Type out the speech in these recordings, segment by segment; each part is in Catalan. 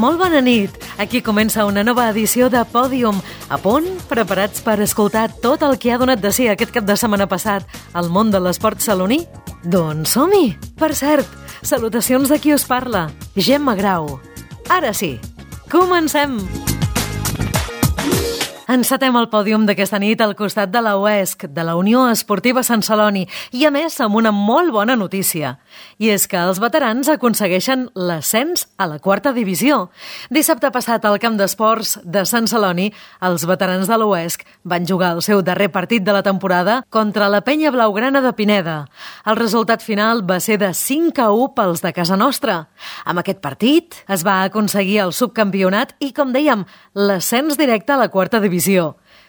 Molt bona nit. Aquí comença una nova edició de Pòdium. A punt? Preparats per escoltar tot el que ha donat de si aquest cap de setmana passat al món de l'esport saloní? Doncs som-hi! Per cert, salutacions de qui us parla, Gemma Grau. Ara sí, comencem! Encetem el pòdium d'aquesta nit al costat de la UESC, de la Unió Esportiva Sant Celoni, i a més amb una molt bona notícia. I és que els veterans aconsegueixen l'ascens a la 4a divisió. Dissabte passat al camp d'esports de Sant Celoni, els veterans de l'UESC van jugar el seu darrer partit de la temporada contra la Penya Blaugrana de Pineda. El resultat final va ser de 5-1 pels de casa nostra. Amb aquest partit es va aconseguir el subcampionat i, com dèiem, l'ascens directe a la 4a divisió.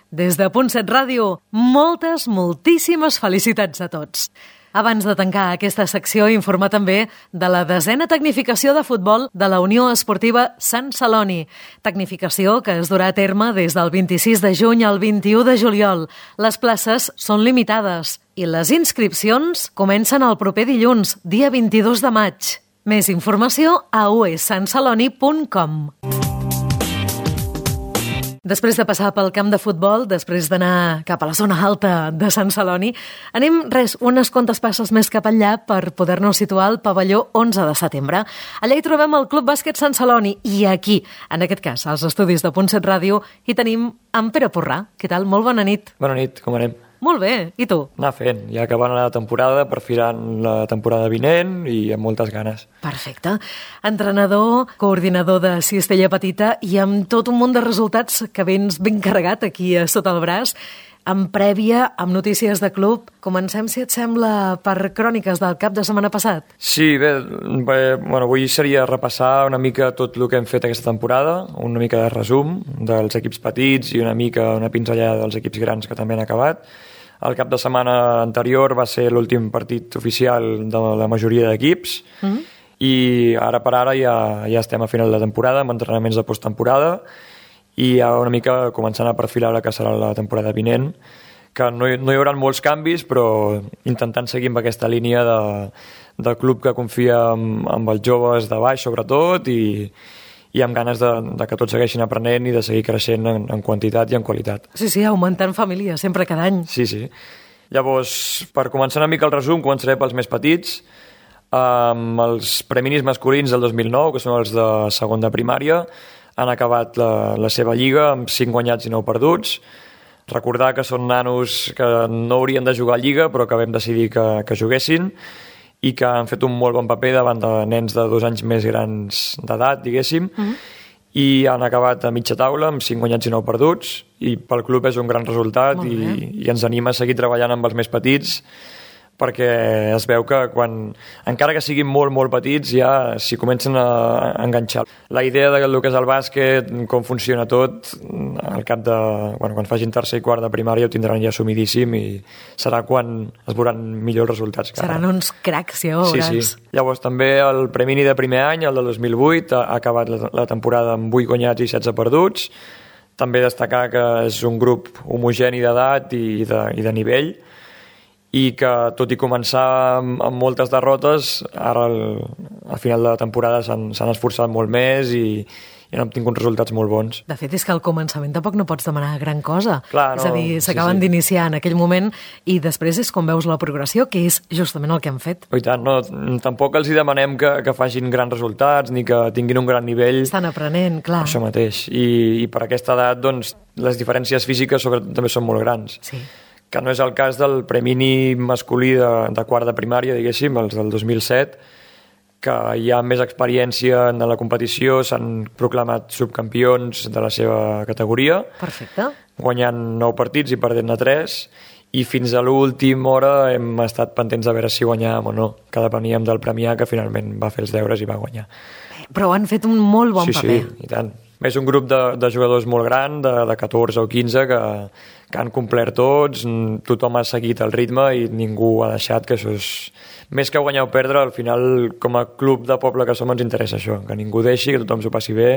Des de Punt 7 Ràdio, moltíssimes felicitats a tots. Abans de tancar aquesta secció, informar també de la 10a tecnificació de futbol de la Unió Esportiva Sant Celoni. Tecnificació que es durà a terme des del 26 de juny al 21 de juliol. Les places són limitades i les inscripcions comencen el proper dilluns, dia 22 de maig. Més informació a uesantceloni.com. Després de passar pel camp de futbol, després d'anar cap a la zona alta de Sant Celoni, anem unes quantes passes més cap allà per poder-nos situar al pavelló 11 de setembre. Allà hi trobem el Club Bàsquet Sant Celoni i aquí, en aquest cas, als estudis de Punt 7 Ràdio, hi tenim en Pere Porrà. Què tal? Molt bona nit. Bona nit, com anem? Molt bé, i tu? Anar fent, ja acabant la temporada, perfilant la temporada vinent i amb moltes ganes. Perfecte. Entrenador, coordinador de Cistella Petita i amb tot un munt de resultats que vens ben carregat aquí sota el braç, amb prèvia, amb notícies de club. Comencem, si et sembla, per cròniques del cap de setmana passat. Sí, bé, avui seria repassar una mica tot el que hem fet aquesta temporada, una mica de resum dels equips petits i una pinzellada dels equips grans que també han acabat. El cap de setmana anterior va ser l'últim partit oficial de la majoria d'equips i ara per ara ja estem a final de temporada amb entrenaments de posttemporada i ja una mica començant a perfilar la que serà la temporada vinent, que no hi haurà molts canvis, però intentant seguir amb aquesta línia de club que confia amb els joves de baix, sobretot, i amb ganes de que tots segueixin aprenent i de seguir creixent en quantitat i en qualitat. Sí, augmentant família, sempre cada any. Sí. Llavors, per començar una mica el resum, començaré pels més petits, amb els preminis masculins del 2009, que són els de segon de primària. Han acabat la seva lliga amb 5 guanyats i 9 perduts. Recordar que són nanos que no haurien de jugar a lliga, però que vam decidir que juguessin i que han fet un molt bon paper davant de nens de 2 anys més grans d'edat, diguéssim, i han acabat a mitja taula amb 5 guanyats i 9 perduts, i pel club és un gran resultat i ens anima a seguir treballant amb els més petits, perquè es veu que encara que siguin molt petits, ja s'hi comencen a enganxar. La idea del que és el bàsquet, com funciona tot, al cap de... quan facin tercer i quart de primària ho tindran ja assumidíssim i serà quan es veuran millors resultats. Seran uns cracs, ja ho veuràs. Sí. Llavors també el premini de primer any, el de 2008, ha acabat la temporada amb 8 guanyats i 16 perduts. També destacar que és un grup homogeni d'edat i de nivell, i que tot i començar amb moltes derrotes, ara al final de la temporada s'han esforçat molt més i han obtingut resultats molt bons. De fet, és que al començament tampoc no pots demanar gran cosa. Clar, no, és a dir, s'acaben d'iniciar en aquell moment i després és com veus la progressió, que és justament el que han fet. I tant, no, tampoc els hi demanem que facin grans resultats ni que tinguin un gran nivell. Estan aprenent, clar. Això mateix. I per aquesta edat, doncs, les diferències físiques sobretot també són molt grans. Sí. Que no és el cas del premini masculí de quart de primària, diguéssim, els del 2007, que hi ha més experiència en la competició, s'han proclamat subcampions de la seva categoria. Perfecte. Guanyant 9 partits i perdent-ne 3, i fins a l'última hora hem estat pendents de veure si guanyàvem o no, que depeníem del Premià, que finalment va fer els deures i va guanyar. Però han fet un molt bon paper. Sí, i tant. És un grup de jugadors molt gran, de 14 o 15, que han complert tots, tothom ha seguit el ritme i ningú ha deixat, que això és... Més que guanyar o perdre, al final, com a club de poble que som, ens interessa això, que ningú deixi, que tothom s'ho passi bé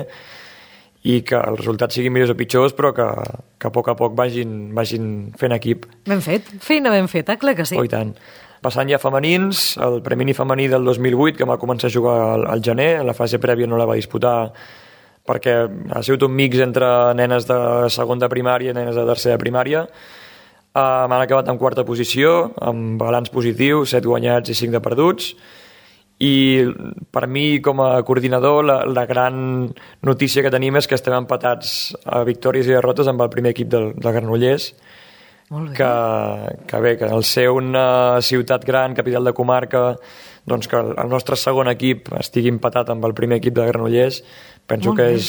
i que els resultats siguin millors o pitjors, però que a poc vagin fent equip. Ben fet, feina ben feta, clar que sí. Oh, i tant. Passant ja a femenins, el premini femení del 2008, que va començar a jugar al gener, en la fase prèvia no la va disputar perquè ha sigut un mix entre nenes de segona de primària i nenes de tercera de primària. Han acabat en quarta posició, amb balanç positiu, 7 guanyats i 5 de perduts. I per mi, com a coordinador, la gran notícia que tenim és que estem empatats a victòries i derrotes amb el primer equip del Granollers. Molt bé. Que bé, que al ser una ciutat gran, capital de comarca, doncs que el nostre segon equip estigui empatat amb el primer equip de Granollers, penso que és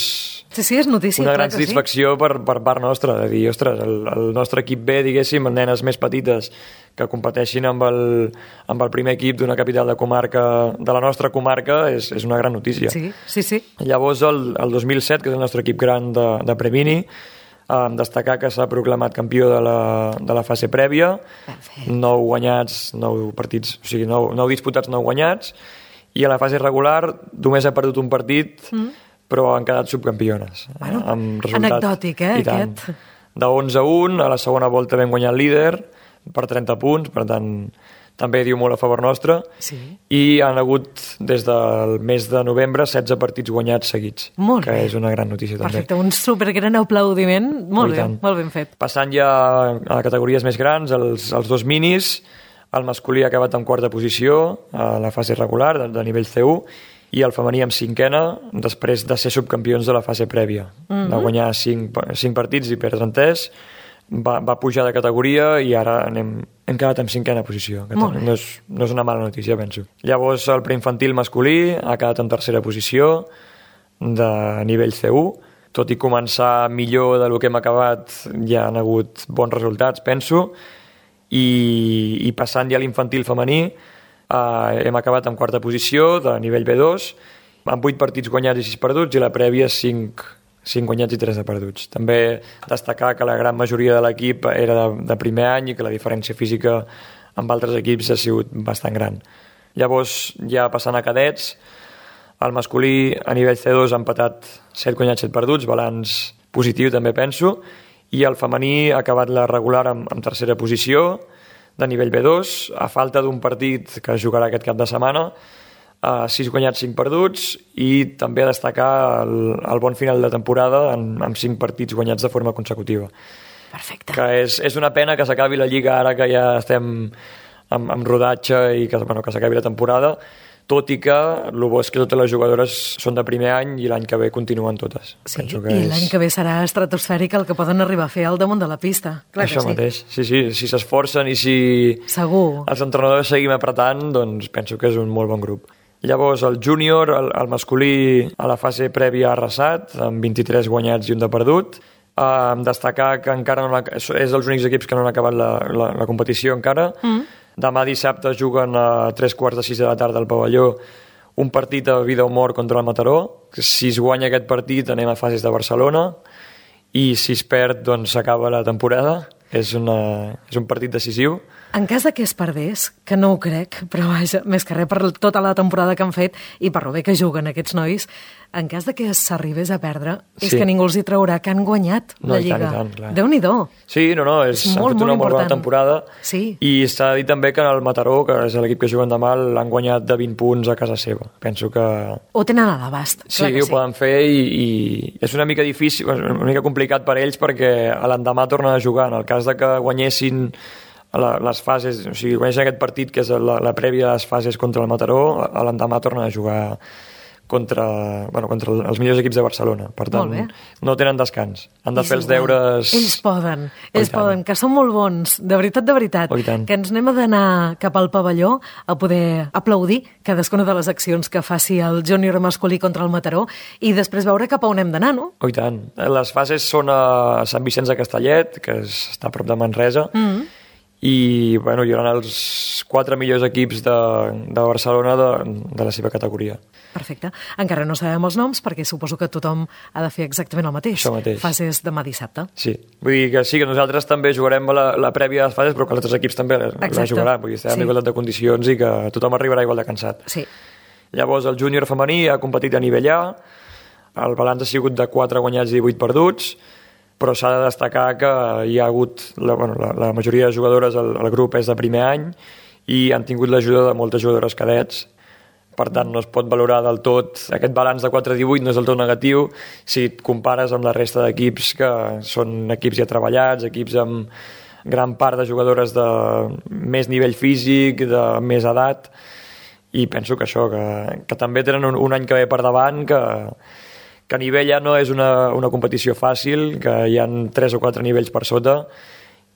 sí, és notícia, una gran satisfacció per part nostra, de dir, ostres, el nostre equip B, diguéssim, nenes més petites que competeixin amb el primer equip d'una capital de comarca, de la nostra comarca, és una gran notícia. Sí. Llavors, el 2007, que és el nostre equip gran de Premini, destacar que s'ha proclamat campió de la fase prèvia. Perfecte. 9 guanyats, 9 partits, o sigui, 9 disputats, 9 guanyats, i a la fase regular només ha perdut un partit, però han quedat subcampiones. Bueno, amb resultat, anecdòtic, aquest. De 11-1, a la segona volta vam guanyar el líder per 30 punts, per tant, també diu molt a favor nostre. Sí. I han hagut, des del mes de novembre, 16 partits guanyats seguits, molt que bé. és una gran notícia també. Perfecte, un supergran aplaudiment. Molt ben fet. Passant ja a categories més grans, els 2 minis, el masculí ha acabat en quarta posició a la fase regular, de nivell C1, i el femení amb 5ena, després de ser subcampions de la fase prèvia. Va guanyar 5 partits i perdre en 3, va pujar de categoria i ara hem quedat en 5ena posició. No és una mala notícia, penso. Llavors, el preinfantil masculí ha quedat en tercera posició de nivell C1. Tot i començar millor del que hem acabat, ja han hagut bons resultats, penso. I passant ja a l'infantil femení, hem acabat en quarta posició de nivell B2, amb 8 partits guanyats i 6 perduts, i la prèvia 5 guanyats i 3 de perduts. També destacar que la gran majoria de l'equip era de primer any i que la diferència física amb altres equips ha sigut bastant gran. Llavors, ja passant a cadets, el masculí a nivell C2 ha empatat 7 guanyats, 7 perduts, balanç positiu també penso, i el femení ha acabat la regular amb tercera posició de nivell B2, a falta d'un partit que es jugarà aquest cap de setmana, 6 guanyats, 5 perduts, i també destacar el bon final de temporada amb 5 partits guanyats de forma consecutiva. Perfecte. Que és una pena que s'acabi la Lliga ara que ja estem amb rodatge i que s'acabi la temporada, tot i que el bo és que totes les jugadores són de primer any i l'any que ve continuen totes. Sí, i l'any que ve serà estratosfèric el que poden arribar a fer al damunt de la pista. Clar això que mateix, sí, si s'esforcen i si segur els entrenadors seguim apretant, doncs penso que és un molt bon grup. Llavors, el júnior, el masculí, a la fase prèvia ha arrasat, amb 23 guanyats i 1 de perdut. Destacar que encara és dels únics equips que no han acabat la competició encara. Demà dissabte juguen a 3:45 de la tarda al pavelló un partit a vida o mort contra el Mataró. Si es guanya aquest partit anem a fases de Barcelona, i si es perd doncs s'acaba la temporada. És un partit decisiu. En cas de que es perdés, que no ho crec, però vaja, més que res per tota la temporada que han fet i per lo bé que juguen aquests nois, en cas de que s'arribés a perdre, és que ningú els hi traurà que han guanyat la Lliga. Déu-n'hi-do. Sí, han fet una molt bona temporada. Sí. I s'ha de dir també que el Mataró, que és l'equip que juguen demà, l'han guanyat de 20 punts a casa seva. Penso que ho tenen a l'abast. Sí, ho poden fer i és una mica difícil, una mica complicat per ells perquè l'endemà tornen a jugar. En el cas de que guanyessin les fases, o sigui, guanyessin aquest partit que és la prèvia de les fases contra el Mataró, l'endemà tornen a jugar contra els millors equips de Barcelona. Per tant, no tenen descans. Han de fer els deures. Ells poden, que són molt bons, de veritat, que ens anem a d'anar cap al pavelló a poder aplaudir cadascuna de les accions que faci el júnior masculí contra el Mataró i després veure cap a on hem d'anar, no? Oh, i tant. Les fases són a Sant Vicenç de Castellet, que està a prop de Manresa, i hi haurà els 4 millors equips de Barcelona de la seva categoria. Perfecte. Encara no sabem els noms perquè suposo que tothom ha de fer exactament el mateix. Això mateix. Fases demà dissabte. Sí. Vull dir que sí, que nosaltres també jugarem la prèvia de les fases, però que els altres equips també la jugaran. Vull dir, estarà en igualtat de condicions i que tothom arribarà igual de cansat. Sí. Llavors, el júnior femení ha competit a nivell A, el balanç ha sigut de 4 guanyats i 18 perduts, però s'ha de destacar que hi ha hagut, la majoria de jugadores al grup és de primer any i han tingut l'ajuda de moltes jugadores cadets. per tant no es pot valorar del tot. Aquest balanç de 4-18 no és del tot negatiu si et compares amb la resta d'equips que són equips ja treballats, equips amb gran part de jugadores de més nivell físic, de més edat, i penso que això, que també tenen un any que ve per davant, que a nivell ja no és una competició fàcil, que hi ha 3 o 4 nivells per sota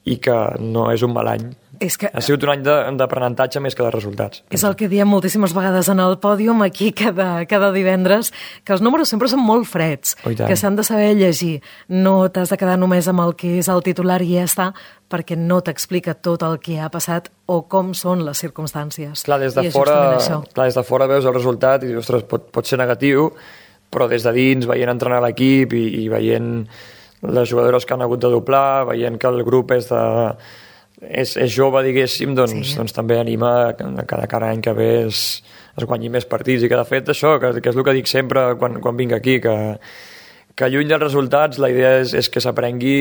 i que no és un mal any. Ha sigut un any d'aprenentatge més que de resultats. És el que diem moltíssimes vegades en el pòdium aquí cada divendres, que els números sempre són molt freds, que s'han de saber llegir. No t'has de quedar només amb el que és el titular i ja està, perquè no t'explica tot el que ha passat o com són les circumstàncies. Clar, des de fora veus el resultat i dius, ostres, pot ser negatiu, però des de dins, veient entrenar l'equip i veient les jugadores que han hagut de doblar, veient que el grup és jove, diguéssim, doncs també anima que cada any que ve es guanyi més partits i que de fet això, que és el que dic sempre quan vinc aquí, que lluny dels resultats la idea és que s'aprengui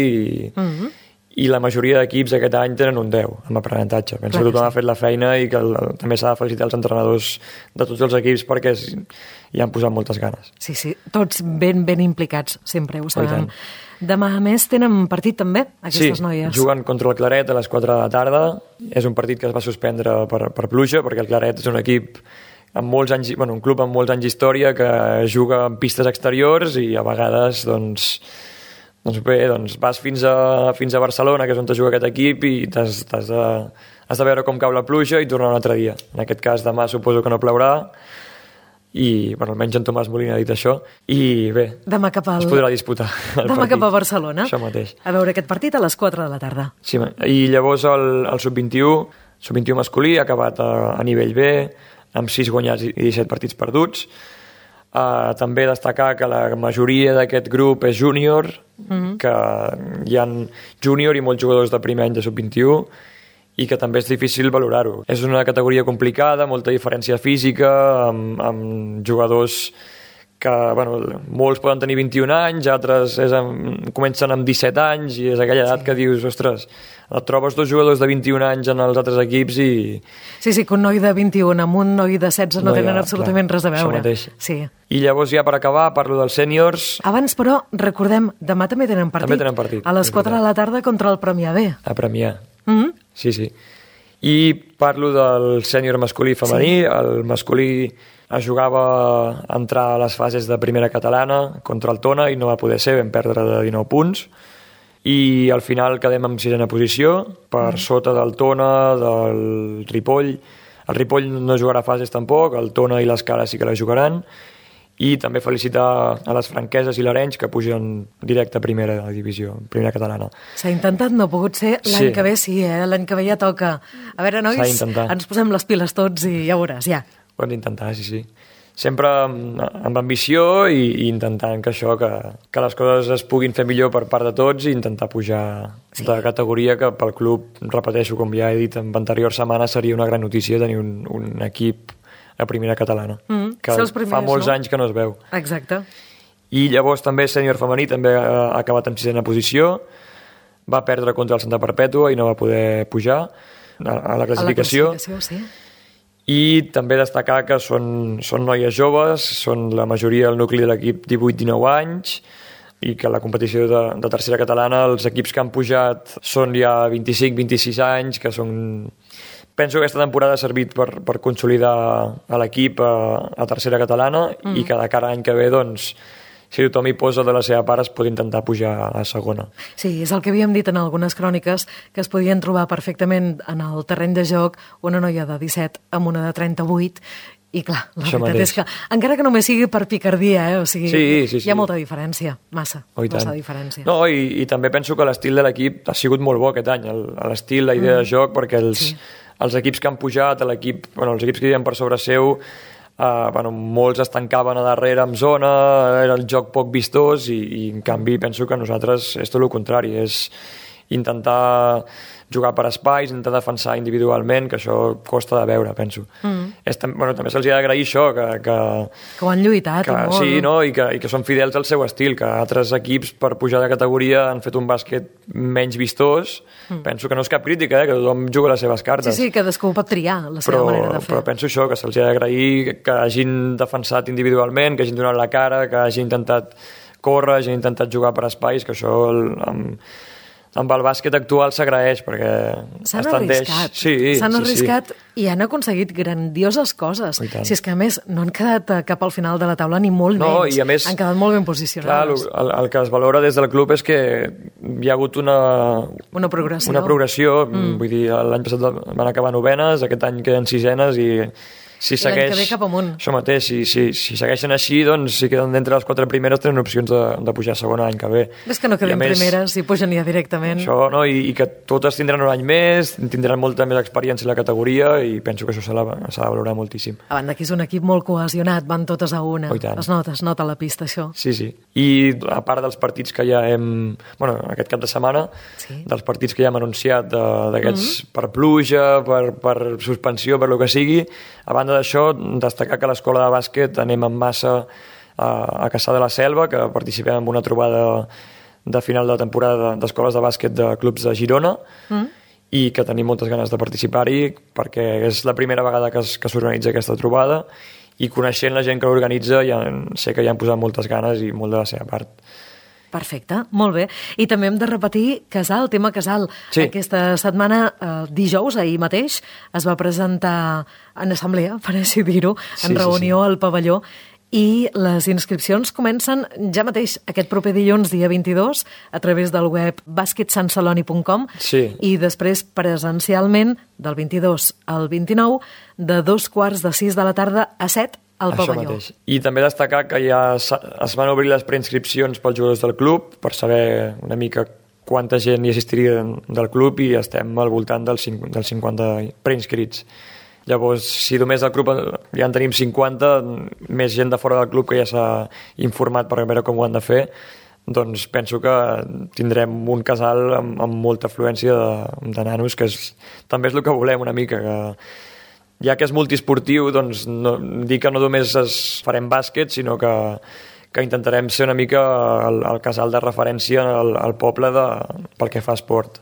i la majoria d'equips aquest any tenen un 10 amb aprenentatge. Penso que tothom ha fet la feina i que també s'ha de felicitar els entrenadors de tots els equips perquè hi han posat moltes ganes. Sí, tots ben implicats, sempre ho sabem. Demà, a més, tenen partit també, aquestes noies. Sí, juguen contra el Claret a les 4 de la tarda. És un partit que es va suspendre per pluja, perquè el Claret és un equip amb molts anys, un club amb molts anys d'història que juga en pistes exteriors i a vegades, vas fins a Barcelona, que és on es juga aquest equip, i has de veure com cau la pluja i tornar un altre dia. En aquest cas, demà suposo que no plourà, i almenys en Tomàs Molina ha dit això, i bé, es podrà disputar el demà partit. Cap a Barcelona, això mateix. A veure aquest partit a les 4 de la tarda. Sí, i llavors el sub-21 masculí ha acabat a nivell B, amb 6 guanyats i 17 partits perduts. També destacar que la majoria d'aquest grup és júnior, que hi ha júnior i molts jugadors de primer any de sub-21, i que també és difícil valorar-ho. És una categoria complicada, molta diferència física, amb jugadors que, molts poden tenir 21 anys, altres comencen amb 17 anys, i és aquella edat que dius, ostres, et trobes 2 jugadors de 21 anys en els altres equips i... Sí, que un noi de 21 amb un noi de 16 no tenen absolutament res a veure. Això mateix. Sí. I llavors ja per acabar parlo dels sèniors. Abans, però, recordem, demà també tenen partit. També tenen partit. A les 4 de la tarda contra el Premià B. A Premià. Sí. I parlo del sènior masculí i femení. El masculí es jugava a entrar a les fases de primera catalana contra el Tona i no va poder ser, vam perdre de 19 punts. I al final quedem en 6ena posició, per sota del Tona, del Ripoll. El Ripoll no jugarà fases tampoc, el Tona i l'Escala sí que la jugaran. I també felicitar a les franqueses i l'Arenys que pugen directe a primera divisió, primera catalana. S'ha intentat, no ha pogut ser. L'any que ve sí, l'any que ve ja toca. A veure, nois, ens posem les piles tots i ja veuràs, ja. Ho hem d'intentar, sí. Sempre amb ambició i intentant que les coses es puguin fer millor per part de tots i intentar pujar de categoria, que pel club, repeteixo, com ja he dit en anteriors setmanes, seria una gran notícia tenir un equip a primera catalana, que fa molts anys que no es veu. Exacte. I llavors també sènior femení també ha acabat en 6ena posició, va perdre contra el Santa Perpètua i no va poder pujar a la classificació. Sí. I també destacar que són noies joves, són la majoria del nucli de l'equip 18-19 anys, i que la competició de tercera catalana els equips que han pujat són ja 25-26 anys, que són... Penso que aquesta temporada ha servit per consolidar a l'equip a tercera catalana i que de cara a l'any que ve, si tothom hi posa de la seva part, es pot intentar pujar a segona. Sí, és el que havíem dit en algunes cròniques, que es podien trobar perfectament en el terreny de joc una noia de 17 amb una de 38, i clar, la veritat és que, encara que només sigui per picardia, o sigui, sí. hi ha molta diferència, massa diferència. No, i també penso que l'estil de l'equip ha sigut molt bo aquest any, l'estil, la idea de joc, perquè els equips que han pujat, els equips que hi havia per sobre seu, molts es tancaven a darrere amb zona, era el joc poc vistós i en canvi penso que nosaltres és tot el contrari, és intentar jugar per espais, intentar defensar individualment, que això costa de veure, penso. També se'ls ha d'agrair això, que ho han lluitat molt. Sí, no? I que són fidels al seu estil, que altres equips per pujar de categoria han fet un bàsquet menys vistós. Penso que no és cap crítica, que tothom juga les seves cartes. Sí, cadascú pot triar la seva manera de fer. Però penso això, que se'ls ha d'agrair que hagin defensat individualment, que hagin donat la cara, que hagin intentat córrer, hagin intentat jugar per espais, que això amb el bàsquet actual s'agraeix, perquè s'han arriscat. S'han arriscat i han aconseguit grandioses coses. Si és que, a més, no han quedat cap al final de la taula ni molt menys. I a més, han quedat molt ben posicionats. Clar, el que es valora des del club és que hi ha hagut una progressió. Vull dir, l'any passat van acabar novenes, aquest any queden sisenes i si segueix, l'any que ve cap amunt. Això mateix, si segueixen així, doncs si queden d'entre les 4 primeres tenen opcions de pujar a segona l'any que ve. És que no queden primeres i pugen ja directament. Això, no? I que totes tindran un any més, tindran molta més experiència en la categoria i penso que això s'ha de valorar moltíssim. A banda que és un equip molt cohesionat, van totes a una. Es nota a la pista, això. Sí. I a part dels partits que ja hem... aquest cap de setmana, dels partits que ja hem anunciat, d'aquests per pluja, per suspensió, per lo que sigui, a banda d'això, destacar que a l'escola de bàsquet anem en massa a Cassà de la Selva, que participem en una trobada de final de temporada d'escoles de bàsquet de clubs de Girona i que tenim moltes ganes de participar-hi perquè és la primera vegada que s'organitza aquesta trobada i coneixent la gent que l'organitza sé que hi han posat moltes ganes i molt de la seva part. Perfecte, molt bé. I també hem de repetir tema Casal. Aquesta setmana, dijous, ahir mateix, es va presentar en assemblea, per així dir-ho, en reunió al pavelló, i les inscripcions comencen ja mateix aquest proper dilluns, dia 22, a través del web basketsansaloni.com i després presencialment del 22 al 29, de 2:45 de la tarda a 7 al pavelló. I també destacar que ja es van obrir les preinscripcions pels jugadors del club per saber una mica quanta gent hi assistiria del club i estem al voltant dels 50 preinscrits. Llavors, si només del club ja en tenim 50, més gent de fora del club que ja s'ha informat per veure com ho han de fer, doncs penso que tindrem un casal amb molta afluència de nanos, que també és el que volem una mica, que ja que és multiesportiu, doncs dir que no només farem bàsquet, sinó que intentarem ser una mica el casal de referència al poble pel que fa a esport.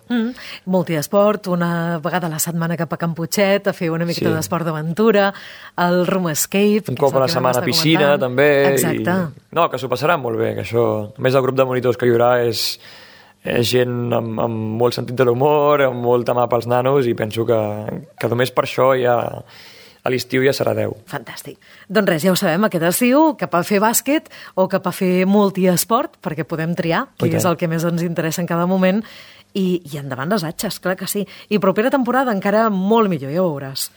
Multiesport, una vegada a la setmana cap a Can Putxet, a fer una miqueta d'esport d'aventura, el Room Escape... Un cop a la setmana a piscina, també. Exacte. No, que s'ho passaran molt bé, que això... A més, el grup de monitors que hi haurà és gent amb molt sentit de l'humor, amb molta mà pels nanos, i penso que només per això ja a l'estiu ja serà 10. Fantàstic. Doncs res, ja ho sabem, aquest estiu, cap a fer bàsquet o cap a fer multiesport, perquè podem triar, que és el que més ens interessa en cada moment, i endavant les atxes, clar que sí. I propera temporada encara molt millor, ja ho veuràs.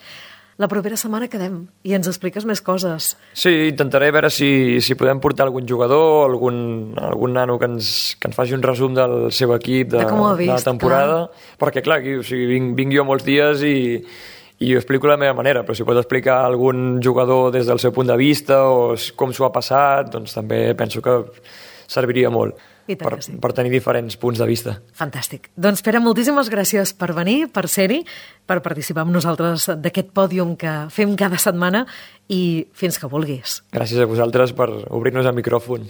La propera setmana quedem i ens expliques més coses. Sí, intentaré veure si podem portar algun jugador, algun nano que ens faci un resum del seu equip de la temporada. Clar. Perquè, clar, vinc jo molts dies i ho explico de la meva manera, però si pots explicar algun jugador des del seu punt de vista o com s'ho ha passat, doncs també penso que serviria molt. Per tenir diferents punts de vista. Fantàstic. Doncs Pere, moltíssimes gràcies per venir, per ser-hi, per participar amb nosaltres d'aquest pòdium que fem cada setmana i fins que vulguis. Gràcies a vosaltres per obrir-nos el micròfon.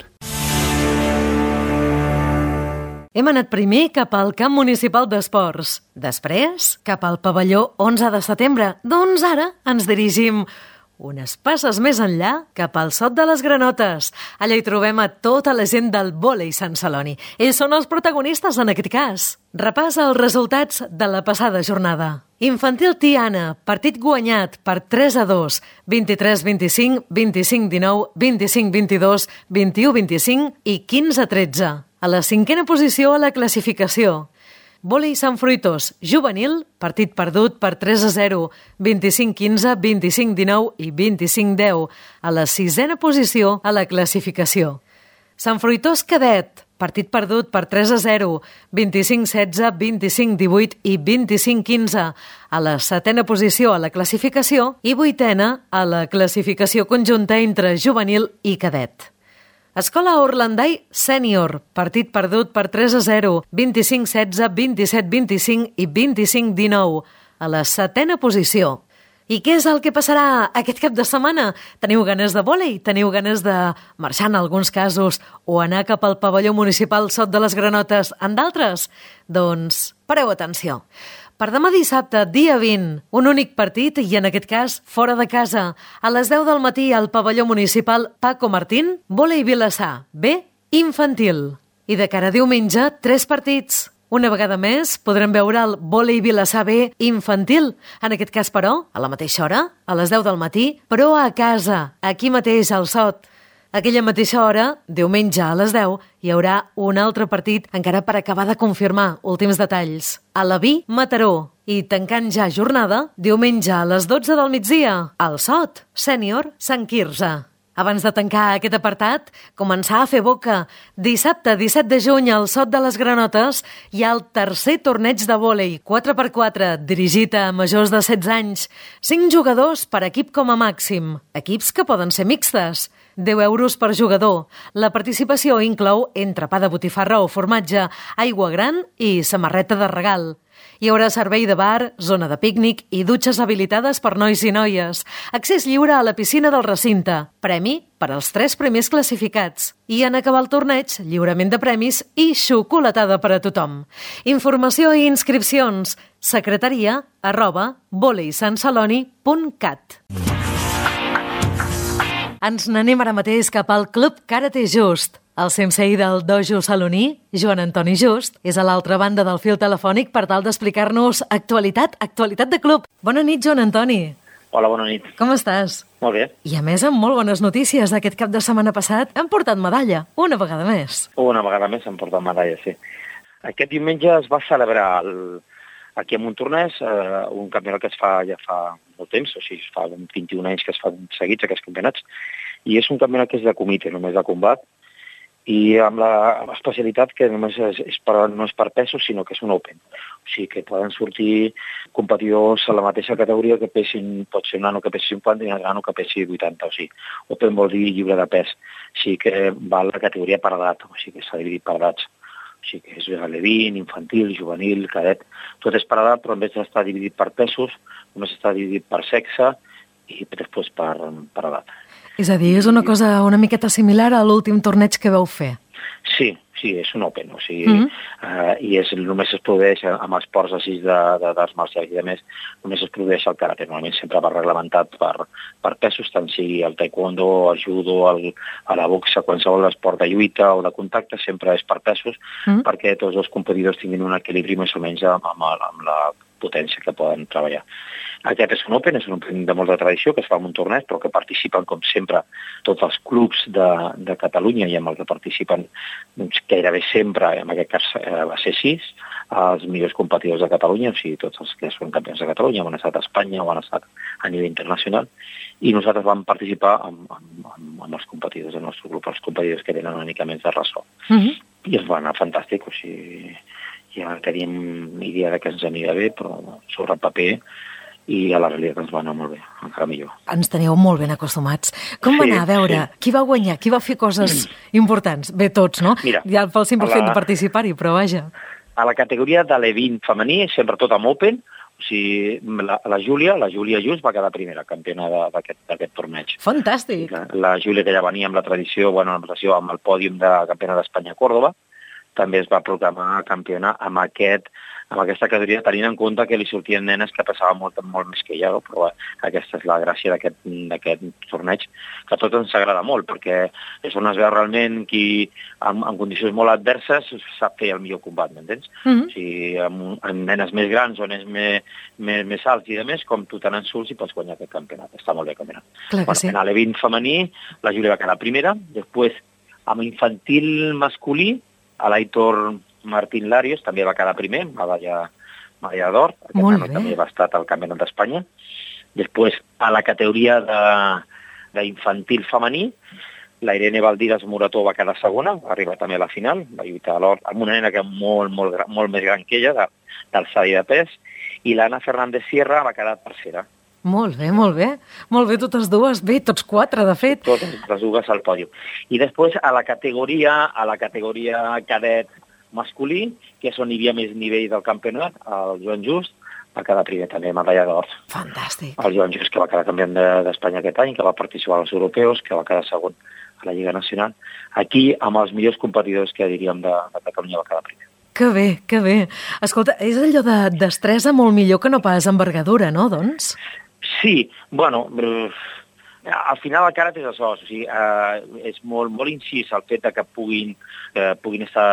Hem anat primer cap al camp municipal d'esports, després cap al pavelló 11 de setembre, doncs ara ens dirigim unes passes més enllà cap al Sot de les Granotes. Allà hi trobem a tota la gent del vòlei Sant Celoni. Ells són els protagonistes en aquest cas. Repassa els resultats de la passada jornada. Infantil Tiana, partit guanyat per 3-2, 23-25, 25-19, 25-22, 21-25 i 15-13. A la 5a posició a la classificació. Vòlei Sant Fruitós, juvenil, partit perdut per 3-0, 25-15, 25-19 i 25-10, a la 6a posició a la classificació. Sant Fruitós cadet, partit perdut per 3-0, 25-16, 25-18 i 25-15, a la 7a posició a la classificació i 8a a la classificació conjunta entre juvenil i cadet. Escola Orlandai Sènior, partit perdut per 3-0, 25-16, 27-25 i 25-19, a la 7ª posició. I què és el que passarà aquest cap de setmana? Teniu ganes de vòlei? Teniu ganes de marxar en alguns casos o anar cap al pavelló municipal Sot de les Granotes en d'altres? Doncs pareu atenció. Per demà dissabte, dia 20, un únic partit i en aquest cas fora de casa. A les 10 del matí al pavelló municipal Paco Martín, vòlei Vilassar, B, infantil. I de cara a diumenge, 3 partits. Una vegada més, podrem veure el vòlei Vilassar B infantil. En aquest cas, però, a la mateixa hora, a les 10 del matí, però a casa, aquí mateix, al Sot. Aquella mateixa hora, diumenge a les 10, hi haurà un altre partit encara per acabar de confirmar últims detalls. A la Vi, Mataró. I tancant ja jornada, diumenge a les 12 del migdia, al Sot, sènior, Sant Quirze. Abans de tancar aquest apartat, començar a fer boca. Dissabte, 17 de juny, al Sot de les Granotes, hi ha el tercer torneig de vòlei 4x4, dirigit a majors de 16 anys. 5 jugadors per equip com a màxim. Equips que poden ser mixtes. 10 euros per jugador. La participació inclou entrepà de botifarra o formatge, aigua gran i samarreta de regal. Hi haurà servei de bar, zona de pícnic i dutxes habilitades per nois i noies. Accés lliure a la piscina del recinte. Premi per als 3 primers classificats. I en acabar el torneig, lliurament de premis i xocolatada per a tothom. Informació i inscripcions. secretaria@voleisanceloni.cat. Ens n'anem ara mateix cap al Club Karate Just. El sensei del dojo saloní, Joan Antoni Just, és a l'altra banda del fil telefònic per tal d'explicar-nos actualitat de club. Bona nit, Joan Antoni. Hola, bona nit. Com estàs? Molt bé. I a més, amb molt bones notícies. Aquest cap de setmana passat hem portat medalla, una vegada més. Una vegada més hem portat medalla, sí. Aquest diumenge es va celebrar aquí a Montornès un campionat que es fa ja fa molt temps, o sigui, es fa 21 anys que es fan seguits aquests campionats, i és un campionat que és de comitè, només de combat, i amb l'especialitat que només no és per pesos, sinó que és un open. O sigui que poden sortir competidors a la mateixa categoria que pesin, pot ser un nano que pesi 50 i un nano que pesi 80. O sigui, open vol dir lliure de pes. O sigui que va la categoria per edat, o sigui que s'ha dividit per edats. O sigui que és alevin, infantil, juvenil, cadet. Tot és per edat, però en vez d'estar dividit per pesos, només està dividit per sexe i després per edat. És a dir, és una cosa una miqueta similar a l'últim torneig que vau fer. Sí, és un open, o sigui, i només es produeix amb esports així d'arts marcials i de més, només es produeix el karate. Normalment sempre va reglamentat per pesos, tant sigui el taekwondo, el judo, a la boxa, qualsevol esport de lluita o de contacte, sempre és per pesos, perquè tots els competidors tinguin un equilibri més o menys amb la potència que poden treballar. Aquest és un open de molta tradició, que es fa en un torneig, però que participen, com sempre, tots els clubs de Catalunya i amb el que participen gairebé sempre, en aquest cas va ser 6, els millors competidors de Catalunya, o sigui, tots els que són campions de Catalunya, han estat a Espanya o han estat a nivell internacional, i nosaltres vam participar amb els competidors del nostre grup, els competidors que tenen una mica més de ressò. I es va anar fantàstic, o sigui, ja teníem idea que ens aniria bé, però sobre el paper i a la realitat ens va anar molt bé, encara millor. Ens teníeu molt ben acostumats. Com va anar? A veure, qui va guanyar? Qui va fer coses importants? Bé, tots, no? Mira, ja pel simple fet de participar-hi, però vaja. A la categoria de l'E20 femení, sempre tot amb Open, o sigui, la Júlia Just va quedar primera campiona d'aquest torneig. Fantàstic! La Júlia, que ja venia amb la tradició, amb el pòdium de campiona d'Espanya a Còrdoba, també es va proclamar campiona amb aquesta categoria, tenint en compte que li sortien nenes que passaven molt més que ella, però aquesta és la gràcia d'aquest torneig, que a tots ens agrada molt, perquè és on es veu realment qui, en condicions molt adverses, sap fer el millor combat, m'entens? O sigui, amb nenes més grans o nens més alts i de més, com tu tenen surts i pots guanyar aquest campionat. Està molt bé el campionat. En l'E20 femení, la Júlia va quedar primera, després amb infantil masculí, a l'Aitor Martín Larios també va quedar primer, medalla d'or, també va estar al Campionat d'Espanya. Després, a la categoria d'infantil femení, la Irene Valdiras Morató va quedar segona, va arribar també a la final, va lluitar a l'or amb una nena que és molt més gran que ella, d'alçada i de pes, i l'Anna Fernández Sierra va quedar tercera. Molt bé, molt bé. Molt bé, totes dues. Bé, tots 4, de fet. Totes les dues al pòdium. I després, a la categoria cadet masculí, que és on hi havia més nivell del campionat, el Joan Just va quedar primer també, medalla d'or. Fantàstic. El Joan Just, que va quedar campió d'Espanya aquest any, que va participar als europeus, que va quedar segon a la Lliga Nacional. Aquí, amb els millors competidors que diríem de Catalunya, va quedar primer. Que bé, que bé. Escolta, és allò de destresa molt millor que no pas envergadura, no, doncs? Sí, bueno, al final el karate és això, o sigui, és molt incís el fet que puguin estar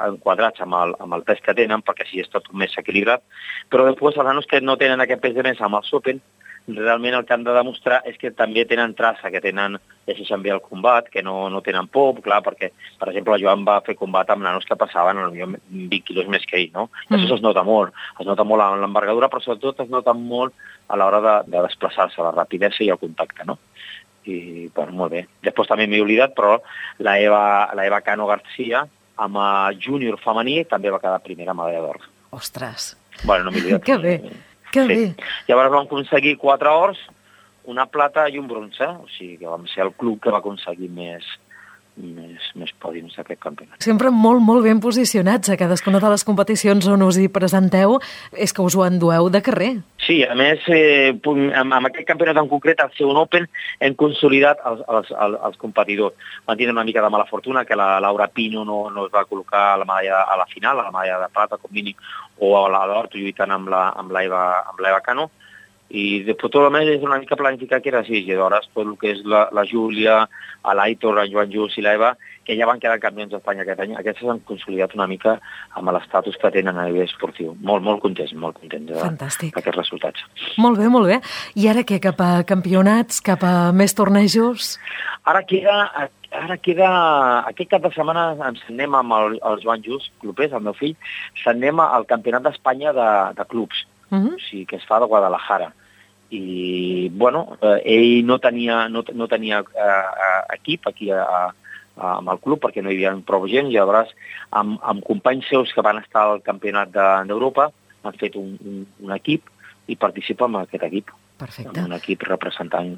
enquadrats amb el pes que tenen, perquè així és tot més equilibrat, però després els nanos que no tenen aquest pes de més amb els Open, realment el que han de demostrar és que també tenen traça, que llegeixen bé el combat, que no tenen por, clar, perquè, per exemple, el Joan va fer combat amb nanos que passaven potser 20 quilos més que ell, no? I això es nota molt en l'envergadura, però sobretot es nota molt a l'hora de desplaçar-se, la rapidesa i el contacte, no? I, bueno, molt bé. Després també m'he oblidat, però la Eva Cano García, amb júnior femení, també va quedar primera medalla d'or. Ostres. Bueno, no m'he oblidat. Que bé, que bé. Llavors vam aconseguir 4 ors, una plata i un bronze, o sigui que vam ser el club que va aconseguir més pòdiums d'aquest campionat. Sempre molt ben posicionats a cadascuna de les competicions on us hi presenteu, és que us ho endueu de carrer. Sí, a més, amb aquest campionat en concret, al Segon Open, hem consolidat els competidors. Van tindre una mica de mala fortuna, que la Laura Pino no es va col·locar a la medalla a la final, a la medalla de plata, com mínim, o a la d'or, lluitant amb l'Eva Cano. I després tot el més és una mica planificar que era així, i llavors tot el que és la Júlia, l'Aitor, el Joan Just i l'Eva, que ja van quedar campions d'Espanya aquest any, aquests s'han consolidat una mica amb l'estatus que tenen a nivell esportiu. Molt contents d'aquests resultats. Molt bé, molt bé. I ara què, cap a campionats, cap a més tornejos? Ara queda, aquest cap de setmana ens anem amb el Joan Just, clubers, el meu fill, s'anem al Campionat d'Espanya de clubs. O sigui, que es fa de Guadalajara. I, bueno, ell no tenia equip aquí amb el club perquè no hi havia prou gent, i llavors amb companys seus que van estar al campionat d'Europa han fet un equip i participa en aquest equip. Perfecte. Un equip representant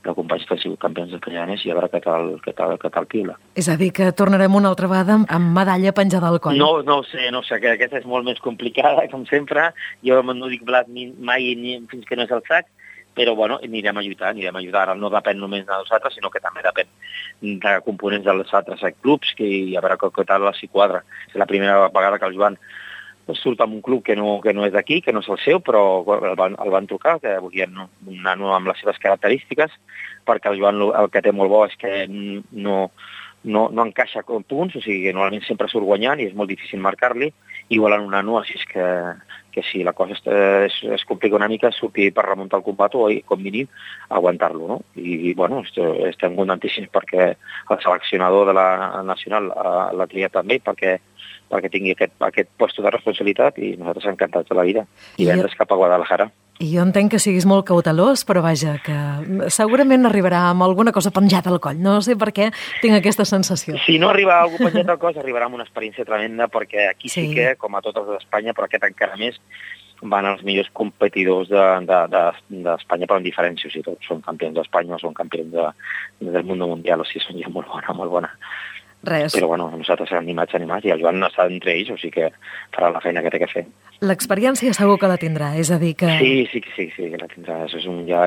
de companys que han sigut campions espanyanes i a veure què tal piula. És a dir, que tornarem una altra vegada amb medalla penjada al coll. No ho sé, que aquesta és molt més complicada, com sempre. Jo no dic blat mai fins que no és el sac, però bueno, anirem a lluitar. Ara no depèn només de nosaltres, sinó que també depèn de components dels altres clubs, i a veure què tal s'hi quadra. És la primera vegada que el Joan surt amb un club que no és d'aquí, que no és el seu, però el van trucar, que volien un nano amb les seves característiques, perquè el Joan el que té molt bo és que no encaixa com punts, o sigui que normalment sempre surt guanyant i és molt difícil marcar-li, i volen un nano, així és que si la cosa es complica una mica, surti per remuntar el combat o, com mínim, aguantar-lo, no? I, bueno, estem contentíssims perquè el seleccionador de la nacional l'ha triat també, perquè tingui aquest lloc de responsabilitat, i nosaltres encantats de la vida. I vendre's cap a Guadalajara. I jo entenc que siguis molt cautelós, però vaja, que segurament arribarà amb alguna cosa penjada al coll. No sé per què tinc aquesta sensació. Si no arriba algú penjat al coll, arribarà amb una experiència tremenda, perquè aquí sí que, com a totes d'Espanya, però aquest encara més, van els millors competidors d'Espanya, però en diferència. O sigui, tots són campions d'Espanya, són campions del món mundial, o sigui, són gent molt bona. Res. Però bueno, nosaltres animats, i el Joan està entre ells, o sigui que farà la feina que té que fer. L'experiència segur que la tindrà, és a dir que... Sí, que la tindrà.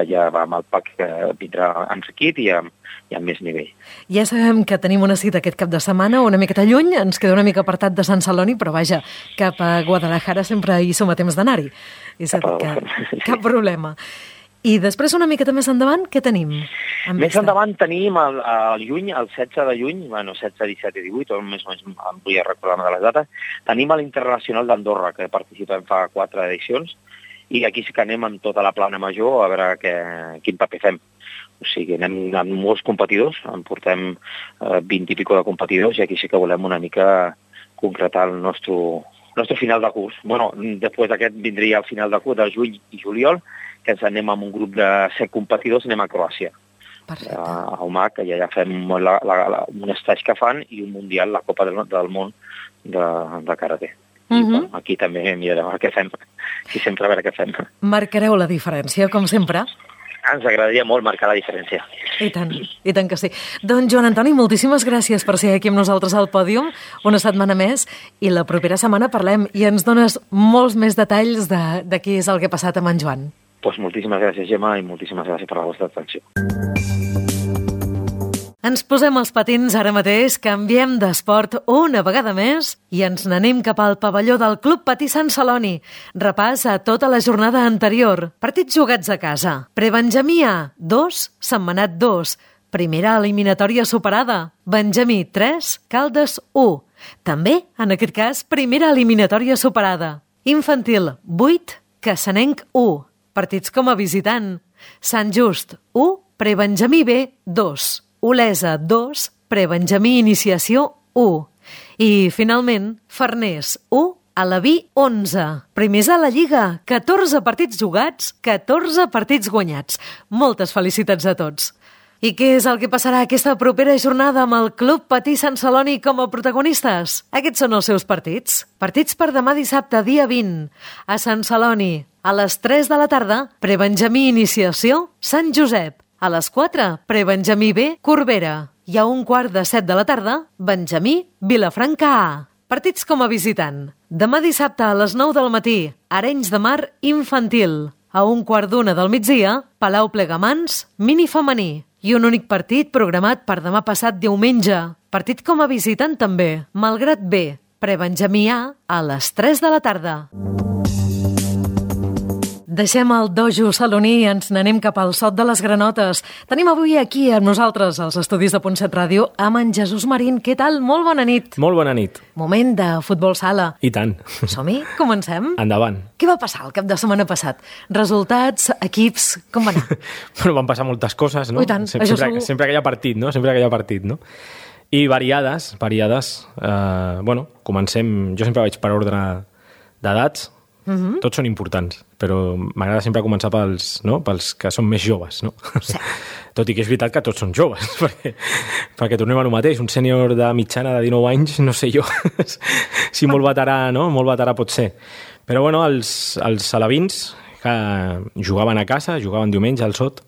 Ja va amb el pack que vindrà enriquit i amb més nivell. Ja sabem que tenim una cita aquest cap de setmana, una miqueta lluny, ens queda una mica apartat de Sant Celoni, però vaja, cap a Guadalajara sempre hi som a temps d'anar-hi. És a dir que cap problema. I després, una miqueta més endavant, què tenim? Més endavant tenim el 16 de juny, 16, 17 i 18, més o menys em vull recordar de les dates, tenim l'Internacional d'Andorra, que participem fa 4 edicions, i aquí sí que anem amb tota la plana major a veure quin paper fem. O sigui, anem amb molts competidors, en portem 20 i pico de competidors, i aquí sí que volem una mica concretar el nostre final de curs. Bueno, després d'aquest vindria el final de curs de juny i juliol, que ens anem amb un grup de 7 competidors, anem a Croàcia. Perfecte. A UMAC, i allà fem un estatge que fan i un mundial, la Copa del Món de Karate. Bueno, aquí també mirarem què fem, i sempre a veure què fem. Marcareu la diferència, com sempre. ens agradaria molt marcar la diferència. I tant que sí. Doncs Joan Antoni, moltíssimes gràcies per ser aquí amb nosaltres al pòdium una setmana més i la propera setmana parlem i ens dones molts més detalls de què és el que ha passat amb en Joan. Doncs moltíssimes gràcies, Gemma, i moltíssimes gràcies per la vostra atenció. Ens posem els patins ara mateix, canviem d'esport una vegada més i ens n'anem cap al pavelló del Club Patí Sant Celoni. Repàs a tota la jornada anterior. Partits jugats a casa. Prebenjamí A, 2, Sentmenat 2. Primera eliminatòria superada. Benjamí 3, Caldes 1. També, en aquest cas, primera eliminatòria superada. Infantil 8, Cassanenc 1. Partits com a visitant. Sant Just 1, Prebenjamí B 2. Olesa 2, Prebenjamí Iniciació 1. I, finalment, Farners 1, Alaví 11. Primers a la Lliga, 14 partits jugats, 14 partits guanyats. Moltes felicitats a tots. I què és el que passarà aquesta propera jornada amb el Club Patí Sant Celoni com a protagonistes? Aquests són els seus partits. Partits per demà dissabte, dia 20. A Sant Celoni, a les 3 de la tarda, Prebenjamí Iniciació, Sant Josep. A les 4, Prebenjamí B, Corbera. I a 1:15 de la tarda, Benjamí, Vilafranca A. Partits com a visitant. Demà dissabte a les 9 del matí, Arenys de Mar Infantil. A 1:15 del migdia, Palau Plegamans, Mini Femení. I un únic partit programat per demà passat diumenge. Partit com a visitant també, Malgrat B, Prebenjamí A les 3 de la tarda. Deixem el dojo saloní i ens n'anem cap al Sot de les Granotes. Tenim avui aquí amb nosaltres, als estudis de Punt 7 Ràdio, amb en Jesús Marín. Què tal? Molt bona nit. Molt bona nit. Moment de futbol sala. I tant. Som-hi? Comencem? Endavant. Què va passar el cap de setmana passat? Resultats, equips, com va anar? Bueno, van passar moltes coses, no? I tant, això segur. Sempre que hi ha partit, no? Sempre que hi ha partit, no? I variades. Bueno, comencem... Jo sempre vaig per ordre d'edats. Tots són importants, però m'agrada sempre començar pels que són més joves, no? Sí. Tot i que és veritat que tots són joves, perquè tornem a lo mateix. Un sènior de mitjana de 19 anys, no sé jo si molt veterà, no? Molt veterà pot ser. Però bueno, els alevins que jugaven a casa, jugaven diumenge al Sot,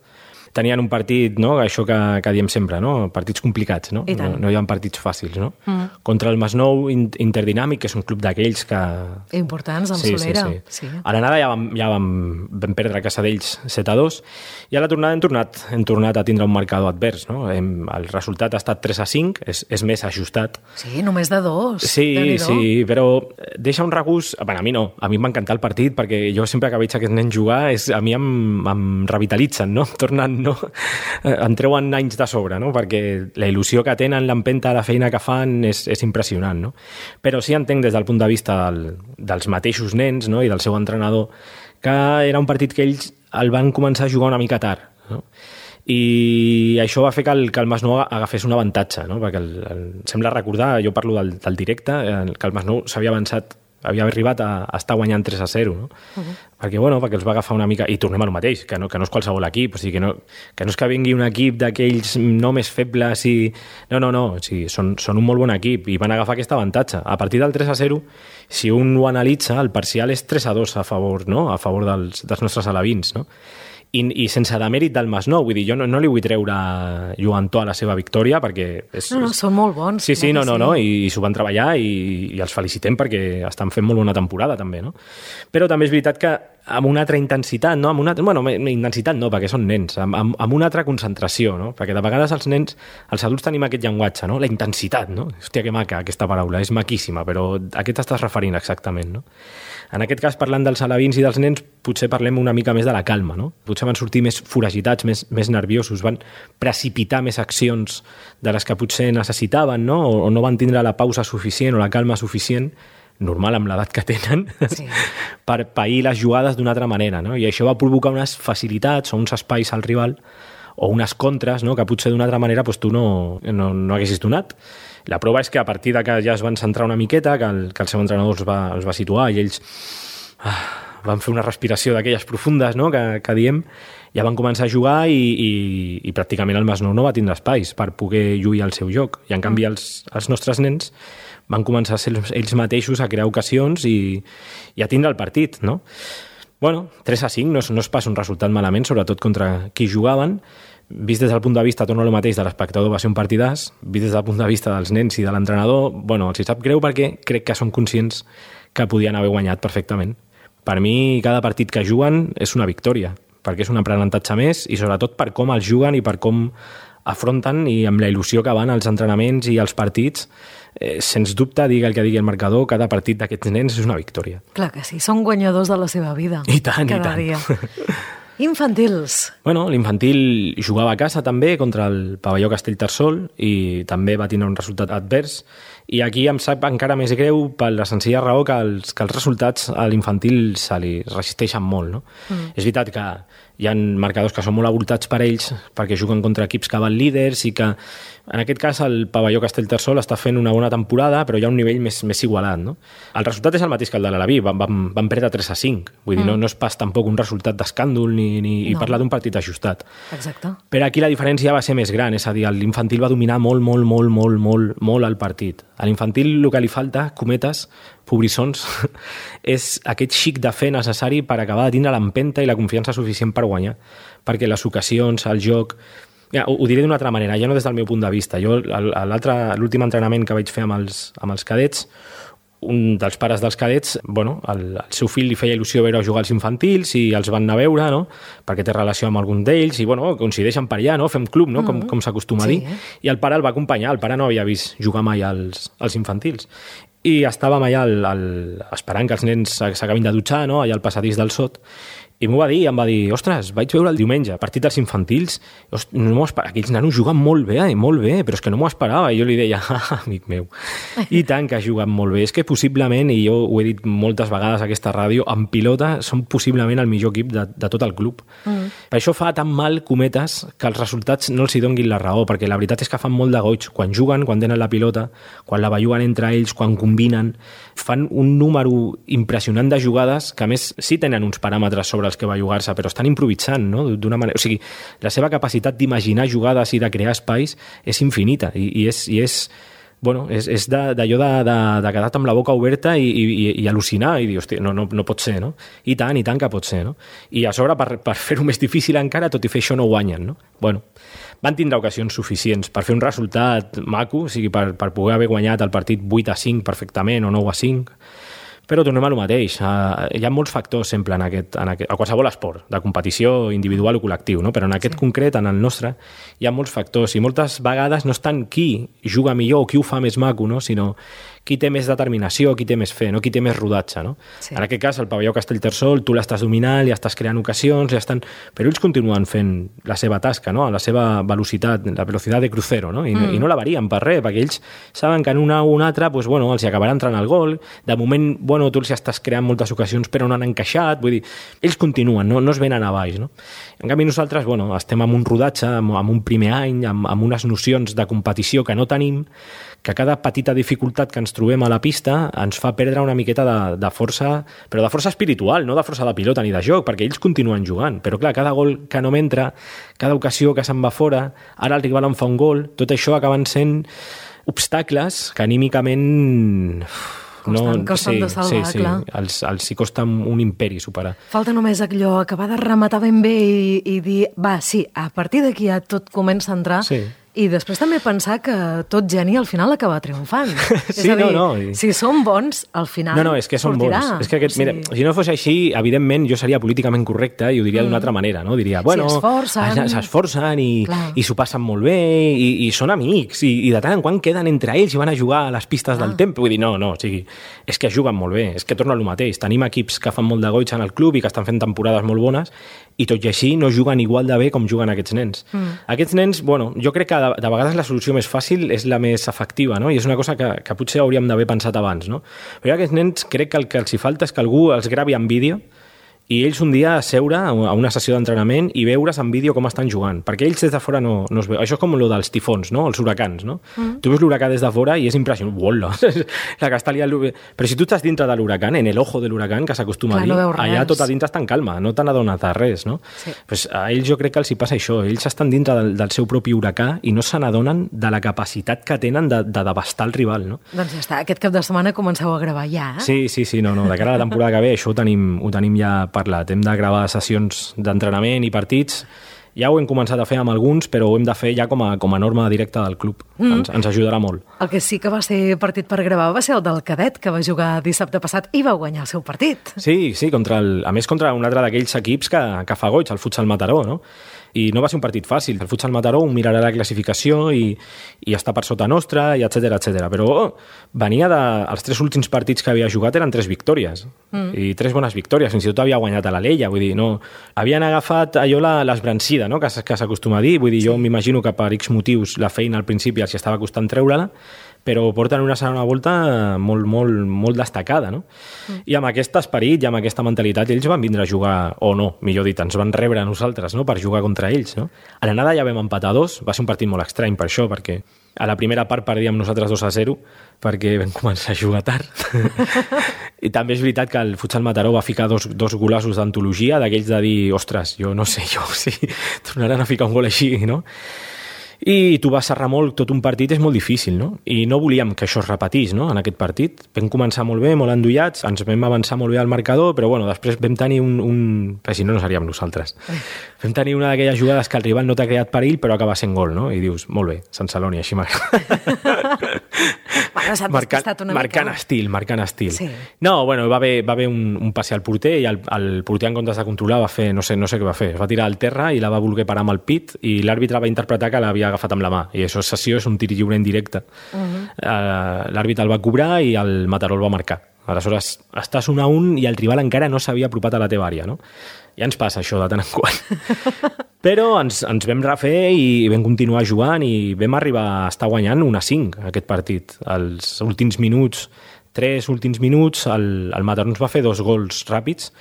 tenien un partit, no? Això que diem sempre, no? Partits complicats, no? No hi ha partits fàcils, no? Contra el Masnou Interdinàmic, que és un club d'aquells que... Importants, amb Solera. Sí. A l'anada ja vam perdre a casa d'ells 7-2, i a la tornada hem tornat a tindre un marcador advers, no? El resultat ha estat 3-5, és més ajustat. Sí, només de 2. Sí, però deixa un regust... Bueno, a mi no, a mi em va encantar el partit, perquè jo sempre que veig aquests nens jugar, a mi em revitalitzen, no? Tornen, no? Em treuen anys de sobre, no? Perquè la il·lusió que tenen, l'empenta, la feina que fan és impressionant, no? Però sí entenc des del punt de vista dels mateixos nens, no? I del seu entrenador, que era un partit que ells el van començar a jugar una mica tard, no? I això va fer que el Masnou agafés un avantatge, no? Perquè sembla recordar, jo parlo del directe, que el Masnou havia arribat a estar guanyant 3-0, no? Perquè els va agafar una mica... I tornem al mateix, que no és qualsevol equip, o sigui, que no és que vingui un equip d'aquells no més febles i... No, o sigui, són un molt bon equip i van agafar aquest avantatge. A partir del 3-0, si un ho analitza, el parcial és 3-2 a favor, no? A favor dels nostres alevins, no? I sense demèrit del Masnou, vull dir, jo no li vull treure Joan a la seva victòria perquè... són molt bons. Sí, i s'ho van treballar i els felicitem perquè estan fent molt bona temporada també, no? Però també és veritat que amb una altra intensitat, no? Intensitat no, perquè són nens, amb una altra concentració, no? Perquè de vegades els adults tenim aquest llenguatge, no? La intensitat, no? Hòstia, que maca aquesta paraula, és maquíssima, però a què t'estàs referint exactament, no? En aquest cas, parlant dels alevins i dels nens, potser parlem una mica més de la calma, no? Potser van sortir més foragitats, més nerviosos, van precipitar més accions de les que potser necessitaven, no? O no van tindre la pausa suficient o la calma suficient, normal amb l'edat que tenen, sí, per pair les jugades d'una altra manera, no? I això va provocar unes facilitats o uns espais al rival o unes contres, no? Que potser d'una altra manera tu no haguessis donat. La prova és que a partir de que ja es van centrar una miqueta, que el seu entrenador els va situar i ells van fer una respiració d'aquelles profundes, no? que diem, ja van començar a jugar i pràcticament el Masnou no va tindre espais per poder lluir el seu joc. I en canvi els nostres nens van començar a ser ells mateixos a crear ocasions i a tindre el partit, no? Bueno, 3-5 no és pas un resultat malament, sobretot contra qui jugaven. Vist des del punt de vista, torno al mateix, de l'espectador va ser un partidàs, vist des del punt de vista dels nens i de l'entrenador, bueno, els hi sap greu perquè crec que són conscients que podien haver guanyat perfectament. Per mi, cada partit que juguen és una victòria, perquè és un aprenentatge més i sobretot per com els juguen i per com afronten i amb la il·lusió que van als entrenaments i als partits, sens dubte, digui el que digui el marcador, cada partit d'aquests nens és una victòria. Clar que sí, són guanyadors de la seva vida. I tant, cada dia. Infantils. Bueno, l'infantil jugava a casa també contra el Pavelló Castellterçol i també va tenir un resultat advers. I aquí em sap encara més greu per la senzilla raó que els resultats a l'infantil se li resisteixen molt, no? És veritat que hi ha marcadors que són molt avoltats per ells perquè juguen contra equips que van líders i que en aquest cas el Pavelló Castellterçol està fent una bona temporada però hi ha un nivell més igualat, no? El resultat és el mateix que el de l'Alaví, van perdre 3-5, vull dir, no és pas tampoc un resultat d'escàndol ni parlar d'un partit ajustat. Exacte. Però aquí la diferència va ser més gran, és a dir, l'infantil va dominar molt el partit. A l'infantil el que li falta, cometes, pobrissons, és aquest xic de fer necessari per acabar de tindre l'empenta i la confiança suficient per guanyar. Perquè les ocasions, el joc... Ja, ho diré d'una altra manera, ja no des del meu punt de vista. Jo, l'últim entrenament que vaig fer amb els cadets, un dels pares dels cadets, bueno, el seu fill li feia il·lusió veure jugar als infantils i els van anar a veure, no? Perquè té relació amb algun d'ells i bueno, coincideixen per allà, no? Fem club, no? Com s'acostuma a dir. I el pare el va acompanyar, el pare no havia vist jugar mai als infantils. I estàvem allà esperant que els nens s'acabin de dutxar, no? Allà al passadís del sot. I m'ho va dir, em va dir, ostres, vaig veure el diumenge, partit dels infantils, no m'ho esperava, aquells nanos juguen molt bé, però és que no m'ho esperava. I jo li deia, amic meu, i tant que juguen molt bé. És que possiblement, i jo ho he dit moltes vegades a aquesta ràdio, en pilota són possiblement el millor equip de tot el club. Per això fa tan mal, cometes, que els resultats no els hi donguin la raó, perquè la veritat és que fan molt de goig. Quan juguen, quan tenen la pilota, quan la belluguen entre ells, quan combinen, fan un número impressionant de jugades que, a més, sí tenen uns paràmetres sobre els que va jugar-se, però estan improvisant, no? D'una manera... O sigui, la seva capacitat d'imaginar jugades i de crear espais és infinita i és bueno, és d'allò de quedar amb la boca oberta i al·lucinar i dir, hòstia, no pot ser, no? I tant que pot ser, no? I a sobre, per fer-ho més difícil encara, tot i fer això no guanyen, no? Bueno, van tindre ocasions suficients per fer un resultat maco, o sigui, per poder haver guanyat el partit 8-5 perfectament o 9-5, però tornem a lo mateix. Hi ha molts factors sempre a qualsevol esport, de competició individual o col·lectiu, no? Però en aquest concret, en el nostre, hi ha molts factors i moltes vegades no és tant qui juga millor o qui ho fa més maco, no? Sinó qui té més determinació, qui té més fe, no? Qui té més rodatge, no? Sí. En aquest cas, el Pavelló Castellterçol, tu l'estàs dominant, li estàs creant ocasions, però ells continuen fent la seva tasca, no? A la seva velocitat, la velocitat de crucero, no? I no la varien per res, perquè ells saben que en una o una altra, pues, bueno, els hi acabarà entrant el gol. De moment, bueno, tu els estàs creant moltes ocasions, però no han encaixat. Vull dir, ells continuen, no es venen a baix, no? En canvi, nosaltres, bueno, estem amb un rodatge, amb un primer any, amb unes nocions de competició que no tenim, que cada petita dificultat que ens trobem a la pista ens fa perdre una miqueta de força, però de força espiritual, no de força de pilota ni de joc, perquè ells continuen jugant. Però clar, cada gol que no m'entra, cada ocasió que se'n va fora, ara el rival em fa un gol, tot això acaben sent obstacles que anímicament... Costen de salvar, clar. Els hi costa un imperi superar. Falta només allò, acabar de rematar ben bé i dir, va, sí, a partir d'aquí ja tot comença a entrar... Sí. I després també pensar que tot geni al final acaba triomfant. Sí, és a dir, no. Si són bons, al final és que són bons. És que mira, si no fos així, evidentment jo seria políticament correcte i ho diria d'una altra manera, no? Diria, bueno, s'esforcen i s'ho passen molt bé i són amics i de tant en quant queden entre ells i van a jugar a les pistes del tempo. Vull dir, no, o sigui, és que juguen molt bé, és que torna al mateix. Tenim equips que fan molt de goig en el club i que estan fent temporades molt bones i tot i així no juguen igual de bé com juguen aquests nens. Aquests nens, bueno, jo crec que de vegades la solució més fàcil és la més efectiva, no? I és una cosa que potser hauríem d'haver pensat abans, no? Però aquests nens crec que el que els hi falta és que algú els gravi en vídeo i ells un dia seure a una sessió d'entrenament i veure's en vídeo com estan jugant, perquè ells des de fora no es veu. Això és com el dels tifons, no? Els huracans, no? Tu veus l'huracà des de fora i és impressionant. Uola! La que està liant... Però si tu estàs dintre de l'huracà, en el ojo de l'huracà, que s'acostuma a dir, allà tot a dintre està en calma, no te n'adones de res, no? Sí. Pues a ells jo crec que els hi passa això. Ells estan dintre del seu propi huracà i no se n'adonen de la capacitat que tenen de devastar el rival, no? Doncs ja està. Aquest cap de setmana comenceu a gravar ja, eh? Sí. No. De cara a la temporada que ve això ho tenim ja parlat. Hem de gravar sessions d'entrenament i partits. Ja ho hem començat a fer amb alguns, però ho hem de fer ja com a norma directa del club. Ens ajudarà molt. El que sí que va ser partit per gravar va ser el del cadet, que va jugar dissabte passat i va guanyar el seu partit. Sí, a més contra un altre d'aquells equips que fa goig, el Futsal Mataró, no? I no va ser un partit fàcil. El Futsal Mataró mirarà la classificació i està per sota nostra, i etcètera. Però venia els 3 últims partits que havia jugat eren 3 victòries. I 3 bones victòries. Fins i tot havia guanyat a l'Alella. Vull dir, no... Havien agafat allò l'esbrancida, no?, que s'acostuma a dir. Vull dir, jo m'imagino que per X motius la feina al principi els estava costant treure-la, però porten una segona volta molt destacada, no? I amb aquest esperit i amb aquesta mentalitat ells van vindre a jugar, o no, millor dit, ens van rebre a nosaltres, no?, per jugar contra ells, no? A l'anada ja vam empatar 2, va ser un partit molt estrany per això, perquè a la primera part perdíem nosaltres 2-0 perquè vam començar a jugar tard. I també és veritat que el Futsal Mataró va ficar dos golossos d'antologia, d'aquells de dir, ostres, jo no sé, si tornaran a ficar un gol així, no? I tu vas serrar molt tot un partit, és molt difícil, no? I no volíem que això es repetís, no?, en aquest partit. Vam començar molt bé, molt endollats, ens vam avançar molt bé al marcador, però bueno, després vam tenir però si no seríem nosaltres. Vam tenir una d'aquelles jugades que el rival no t'ha creat perill, però acaba sent gol, no? I dius, molt bé, Sant Celoni, així m'agrada. Bueno, s'ha despistat una mica. Marcant estil. Sí. No, bueno, va haver un passi al porter i el porter, en comptes de controlar, va fer, no sé què va fer, es va tirar al terra i la va voler parar amb el pit i l'àrbitre va interpretar que l'havia agafat amb la mà, i això sessió és un tir lliure en directe. L'àrbitre el va cobrar i el Mataró el va marcar. Aleshores, estàs 1-1 i el rival encara no s'havia apropat a la teva àrea, no? Ja ens passa això de tant en quant. Però ens vam refer i vam continuar jugant i vam arribar a estar guanyant 1-5 aquest partit. Els últims minuts, 3 últims minuts, el Mataró ens va fer 2 gols ràpids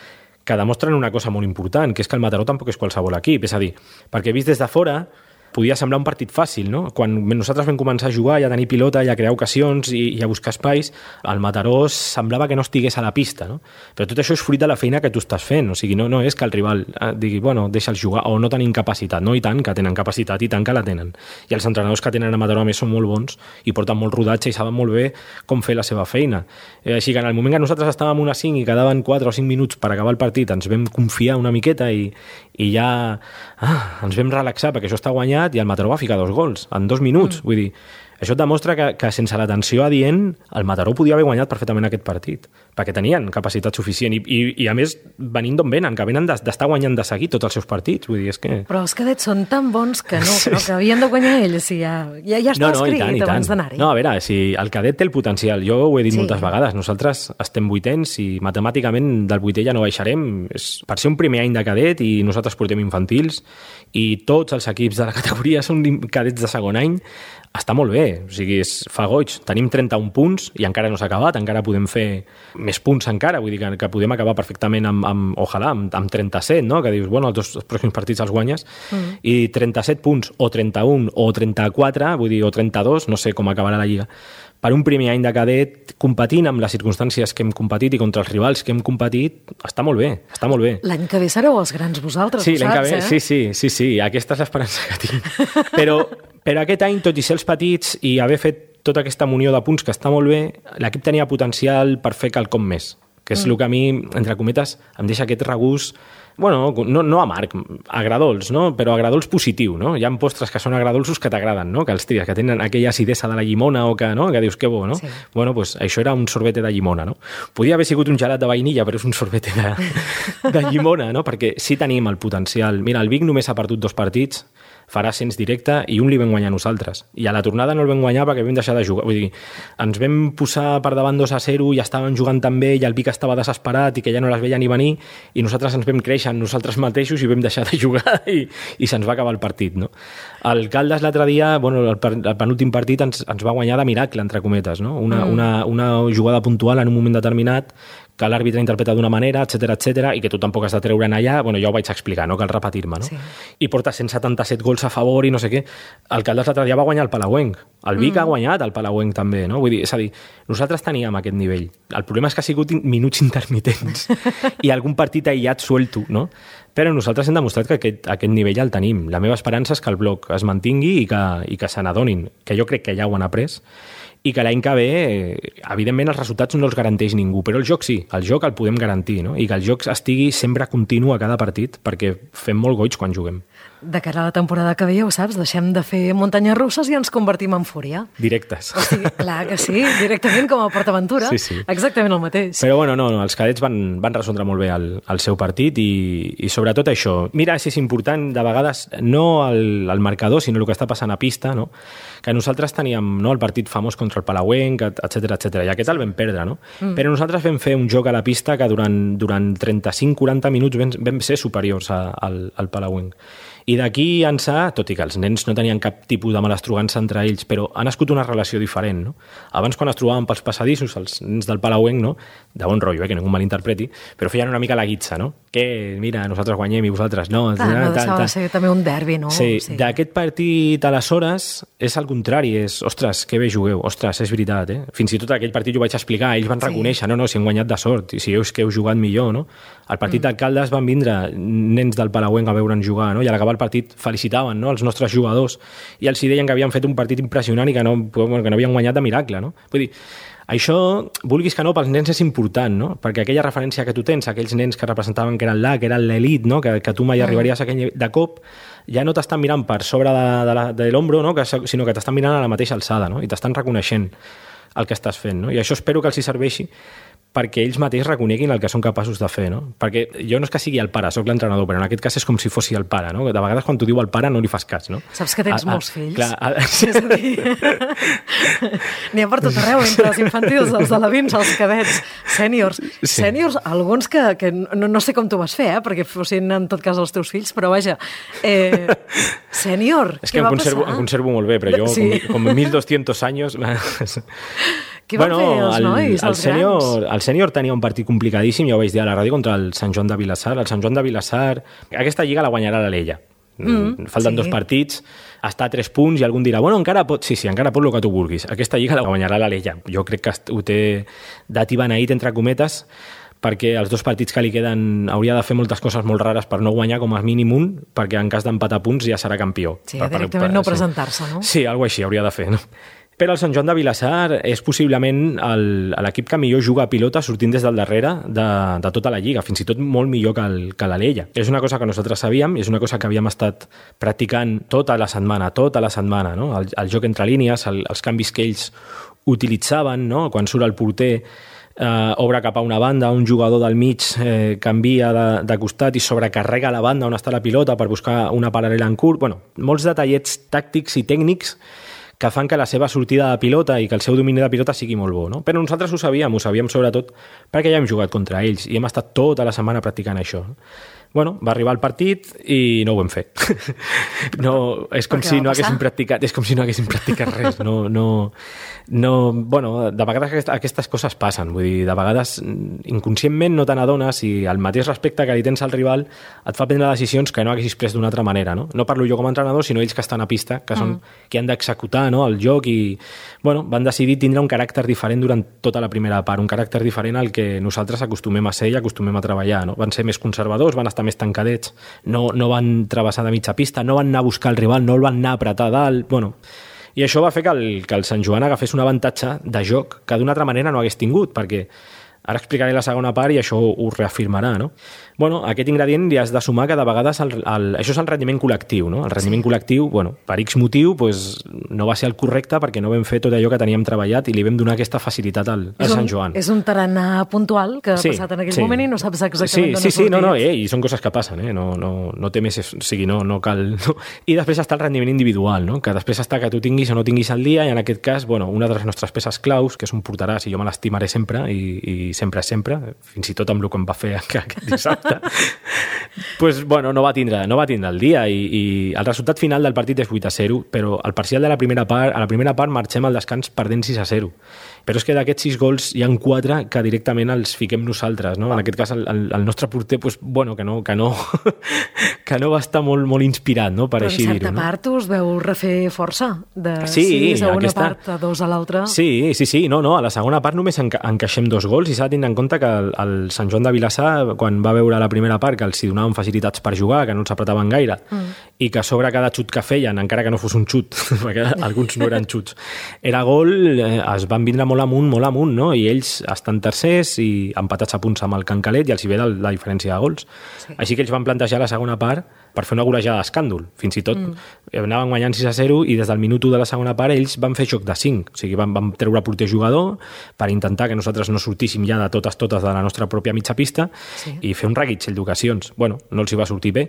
que demostren una cosa molt important, que és que el Mataró tampoc és qualsevol equip. És a dir, perquè vist des de fora podia semblar un partit fàcil, no? Quan nosaltres vam començar a jugar i a tenir pilota i a crear ocasions i a buscar espais, el Mataró semblava que no estigués a la pista, no? Però tot això és fruit de la feina que tu estàs fent, o sigui, no és que el rival digui, bueno, deixa'ls jugar, o no tenim capacitat, no? I tant que tenen capacitat, i tant que la tenen. I els entrenadors que tenen a Mataró, a més, són molt bons i porten molt rodatge i saben molt bé com fer la seva feina. Així que en el moment que nosaltres estàvem 1-5 i quedaven 4 o 5 minuts per acabar el partit, ens vam confiar una miqueta i ja ens vam relaxar perquè això està guanyat i el Mataró va ficar 2 gols en 2 minuts. Vull dir, això et demostra que sense l'atenció adient el Mataró podia haver guanyat perfectament aquest partit, perquè tenien capacitat suficient i a més venint d'on venen, que venen d'estar guanyant de seguir tots els seus partits. Vull dir, és que... Però els cadets són tan bons que que havien de guanyar ells, i ja està escrit abans d'anar-hi. No, a veure, si el cadet té el potencial, jo ho he dit moltes vegades, nosaltres estem 8ens i matemàticament del 8è ja no baixarem, és per ser un primer any de cadet i nosaltres portem infantils i tots els equips de la categoria són cadets de segon any, està molt bé, o sigui, fa goig. Tenim 31 punts i encara no s'ha acabat, encara podem fer més punts encara, vull dir que podem acabar perfectament ojalà, amb 37, no? Que dius, bueno, els 2 pròxims partits els guanyes, i 37 punts, o 31, o 34, vull dir, o 32, no sé com acabarà la Lliga. Per un primer any de cadet, competint amb les circumstàncies que hem competit i contra els rivals que hem competit, està molt bé, està molt bé. L'any que ve sereu els grans vosaltres, sí, ho saps, Sí, aquesta és l'esperança que tinc. Però aquest any, tot i ser els petits i haver fet tota aquesta munió de punts que està molt bé, l'equip tenia potencial per fer quelcom més, que és el que a mi, entre cometes, em deixa aquest regús, bueno, no amarg, agradolç, no? Però agradolç positiu, no? Hi ha postres que són agradolços que t'agraden, no? Que els tries, que tenen aquella acidesa de la llimona o que, no? Que dius, que bo, no? Sí. Bueno, pues això era un sorbete de llimona, no? Podia haver sigut un gelat de vainilla, però és un sorbete de llimona, no? Perquè sí tenim el potencial. Mira, el Vic només ha perdut 2 partits, farà ascens directe i un li vam guanyar nosaltres. I a la tornada no el vam guanyar perquè vam deixar de jugar. Vull dir, ens vam posar per davant 2-0 i estaven jugant tan bé i el Vic estava desesperat i que ja no les veia ni venir i nosaltres ens vam créixer nosaltres mateixos i vam deixar de jugar i se'ns va acabar el partit, no? El Caldes l'altre dia, bueno, el penúltim partit ens va guanyar de miracle, entre cometes, no? Una jugada puntual en un moment determinat que l'àrbitre interpreta d'una manera, etcètera, i que tu tampoc has de treure'n allà, bueno, ja ho vaig explicar, no cal repetir-me, no? Sí. I porta 177 gols a favor i no sé què. El Caldes l'altre dia va guanyar el Palauenc. El Vic ha guanyat el Palauenc també, no? Vull dir, és a dir, nosaltres teníem aquest nivell. El problema és que ha sigut minuts intermitents i algun partit aïllat suelto, no? Però nosaltres hem demostrat que aquest nivell el tenim. La meva esperança és que el bloc es mantingui i que se n'adonin, que jo crec que ja ho han après, i que l'any que ve, evidentment, els resultats no els garanteix ningú, però el joc sí, el joc el podem garantir, no? I que el joc estigui sempre continu a cada partit, perquè fem molt goig quan juguem. De cara a la temporada que ve, ja ho saps, deixem de fer muntanyes russes i ens convertim en fúria. Directes. O sigui, clar que sí, directament com a PortAventura. Sí. Exactament el mateix. Però bueno, no, els cadets van resoldre molt bé el seu partit i sobretot això. Mira, si és important, de vegades, no el marcador, sinó el que està passant a pista, no? Que nosaltres teníem el partit famós contra el Palauenc, etc. I aquest el vam perdre, no? Però nosaltres vam fer un joc a la pista que durant 35-40 minuts vam ser superiors al Palauenc. I d'aquí ençà, tot i que els nens no tenien cap tipus de malastrugança entre ells, però ha nascut una relació diferent, no? Abans, quan es trobaven pels passadissos, els nens del Palauenc, no? De bon rotllo, que ningú malinterpreti, però feien una mica la guitza, no? Que, mira, nosaltres guanyem i vosaltres no. No deixava de ser també un derbi, no? Sí, d'aquest partit, aleshores, és al contrari, ostres, que bé jugueu, ostres, és veritat, eh? Fins i tot aquell partit ho vaig explicar, ells van reconèixer, no, si han guanyat de sort, i si veus que heu jugat millor, no? Al partit d'alcaldes van vindre nens del Palauenc a veure'ns jugar, no? I a l'acabar el partit felicitaven, no?, els nostres jugadors i els deien que havien fet un partit impressionant i que no havien guanyat de miracle, no? Vull dir, això, vulguis que no, pels nens és important, no? Perquè aquella referència que tu tens, aquells nens que representaven que eren que eren l'elit, no? Que tu mai arribaries a aquell nivell, de cop ja no t'estan mirant per sobre de l'ombro, no? Sinó que t'estan mirant a la mateixa alçada, no? I t'estan reconeixent el que estàs fent, no? I això espero que els hi serveixi perquè ells mateix reconeguin el que són capaços de fer, no? Perquè jo no és que sigui el pare, sóc l'entrenador, però en aquest cas és com si fossi el pare, no? De vegades quan t'ho diu el pare no li fas cas, no? Saps que tens molts fills? Clar, és a dir, n'hi ha per tot arreu, entre els infantils, els alevins, els cadets, sèniors. Sí. Sèniors, alguns que no sé com t'ho vas fer, perquè fossin en tot cas els teus fills, però vaja, sènior, és que em conservo molt bé, però jo, sí. com 1.200 anys... Què van fer els nois, els grans? El sènior tenia un partit complicadíssim, ja ho vaig dir a la ràdio, contra el Sant Joan de Vilassar. El Sant Joan de Vilassar... Aquesta lliga la guanyarà l'Alella. Falten 2 partits, està a 3 punts i algú dirà, bueno, encara pot, sí, encara pot el que tu vulguis. Aquesta lliga la guanyarà l'Alella. Jo crec que ho té dati beneït, entre cometes, perquè els 2 partits que li queden hauria de fer moltes coses molt rares per no guanyar com a mínim un, perquè en cas d'empatar punts ja serà campió. Sí, directament no presentar-se, no? Sí, alguna així hauria de fer, no? Però el Sant Joan de Vilassar és possiblement l'equip que millor juga a pilota sortint des del darrere de tota la lliga, fins i tot molt millor que l'Alella. És una cosa que nosaltres sabíem, és una cosa que havíem estat practicant tota la setmana, no? El joc entre línies, els canvis que ells utilitzaven, no? Quan surt el porter, obre cap a una banda, un jugador del mig canvia de costat i sobrecarrega la banda on està la pilota per buscar una paral·lela en curt. Bueno, molts detallets tàctics i tècnics que fan que la seva sortida de pilota i que el seu domini de pilota sigui molt bo, no? Però nosaltres ho sabíem sobretot perquè ja hem jugat contra ells i hem estat tota la setmana practicant això. Bueno, va arribar el partit i no ho vam fer. No, és com si no haguéssim practicat, res. Bueno, de vegades aquestes coses passen, vull dir, de vegades inconscientment no te n'adones i el mateix respecte que li tens al rival et fa prendre decisions que no haguessis pres d'una altra manera, no? No parlo jo com a entrenador, sinó ells que estan a pista, que són qui han d'executar, no, el joc i, bueno, van decidir tindre un caràcter diferent durant tota la primera part, un caràcter diferent al que nosaltres acostumem a ser i acostumem a treballar, no? Van ser més conservadors, van estar més tancadets, no van travessar de mitja pista, no van anar a buscar el rival, no el van anar a apretar dalt, bueno... I això va fer que el Sant Joan agafés un avantatge de joc que d'una altra manera no hagués tingut, perquè ara explicaré la segona part i això ho reafirmarà, no? Bueno, aquest ingredient li has de sumar que de vegades això és el rendiment col·lectiu, no? El rendiment col·lectiu, bueno, per X motiu, pues, no va ser el correcte perquè no vam fer tot allò que teníem treballat i li vam donar aquesta facilitat al Sant Joan. És un tarannà puntual que ha passat en aquell moment i no saps exactament d'on ha sortit. I són coses que passen, no té més, o sigui, no cal... No. I després està el rendiment individual, no? Que després està que tu tinguis o no tinguis el dia i en aquest cas, bueno, una de les nostres peces claus, que és un porteràs i jo me l'estimaré sempre i sempre, fins i tot amb el que em va fer aquest dissabte, pues, bueno, no va tindre el dia i el resultat final del partit és 8-0, però al parcial de la primera part marxem al descans perdent 6-0. Però és que d'aquests 6 gols hi ha 4 que directament els fiquem nosaltres, no? En aquest cas el nostre porter, pues, bueno, que no va estar molt inspirat, no? Per així dir-ho. Però en certa part us veu refer força, de 6 a una part, a 2 a l'altra. Sí, no, a la segona part només encaixem 2 gols i s'ha s'ha de tenir en compte que el Sant Joan de Vilassar, quan va veure la primera part que els hi donaven facilitats per jugar, que no els apretaven gaire, i que a sobre cada xut que feien, encara que no fos un xut, perquè alguns no eren xuts, era gol, es van vindre molt amunt, no? I ells estan tercers i empatats a punts amb el Can Calet i els hi ve la diferència de gols. Sí. Així que ells van plantejar la segona part per fer una golejada d'escàndol. Fins i tot anaven guanyant 6-0 i des del minut 1 de la segona part ells van fer joc de 5. O sigui, van treure porter jugador per intentar que nosaltres no sortíssim ja de totes de la nostra pròpia mitja pista i fer un reguitzell d'ocasions. Bueno, no els hi va sortir bé.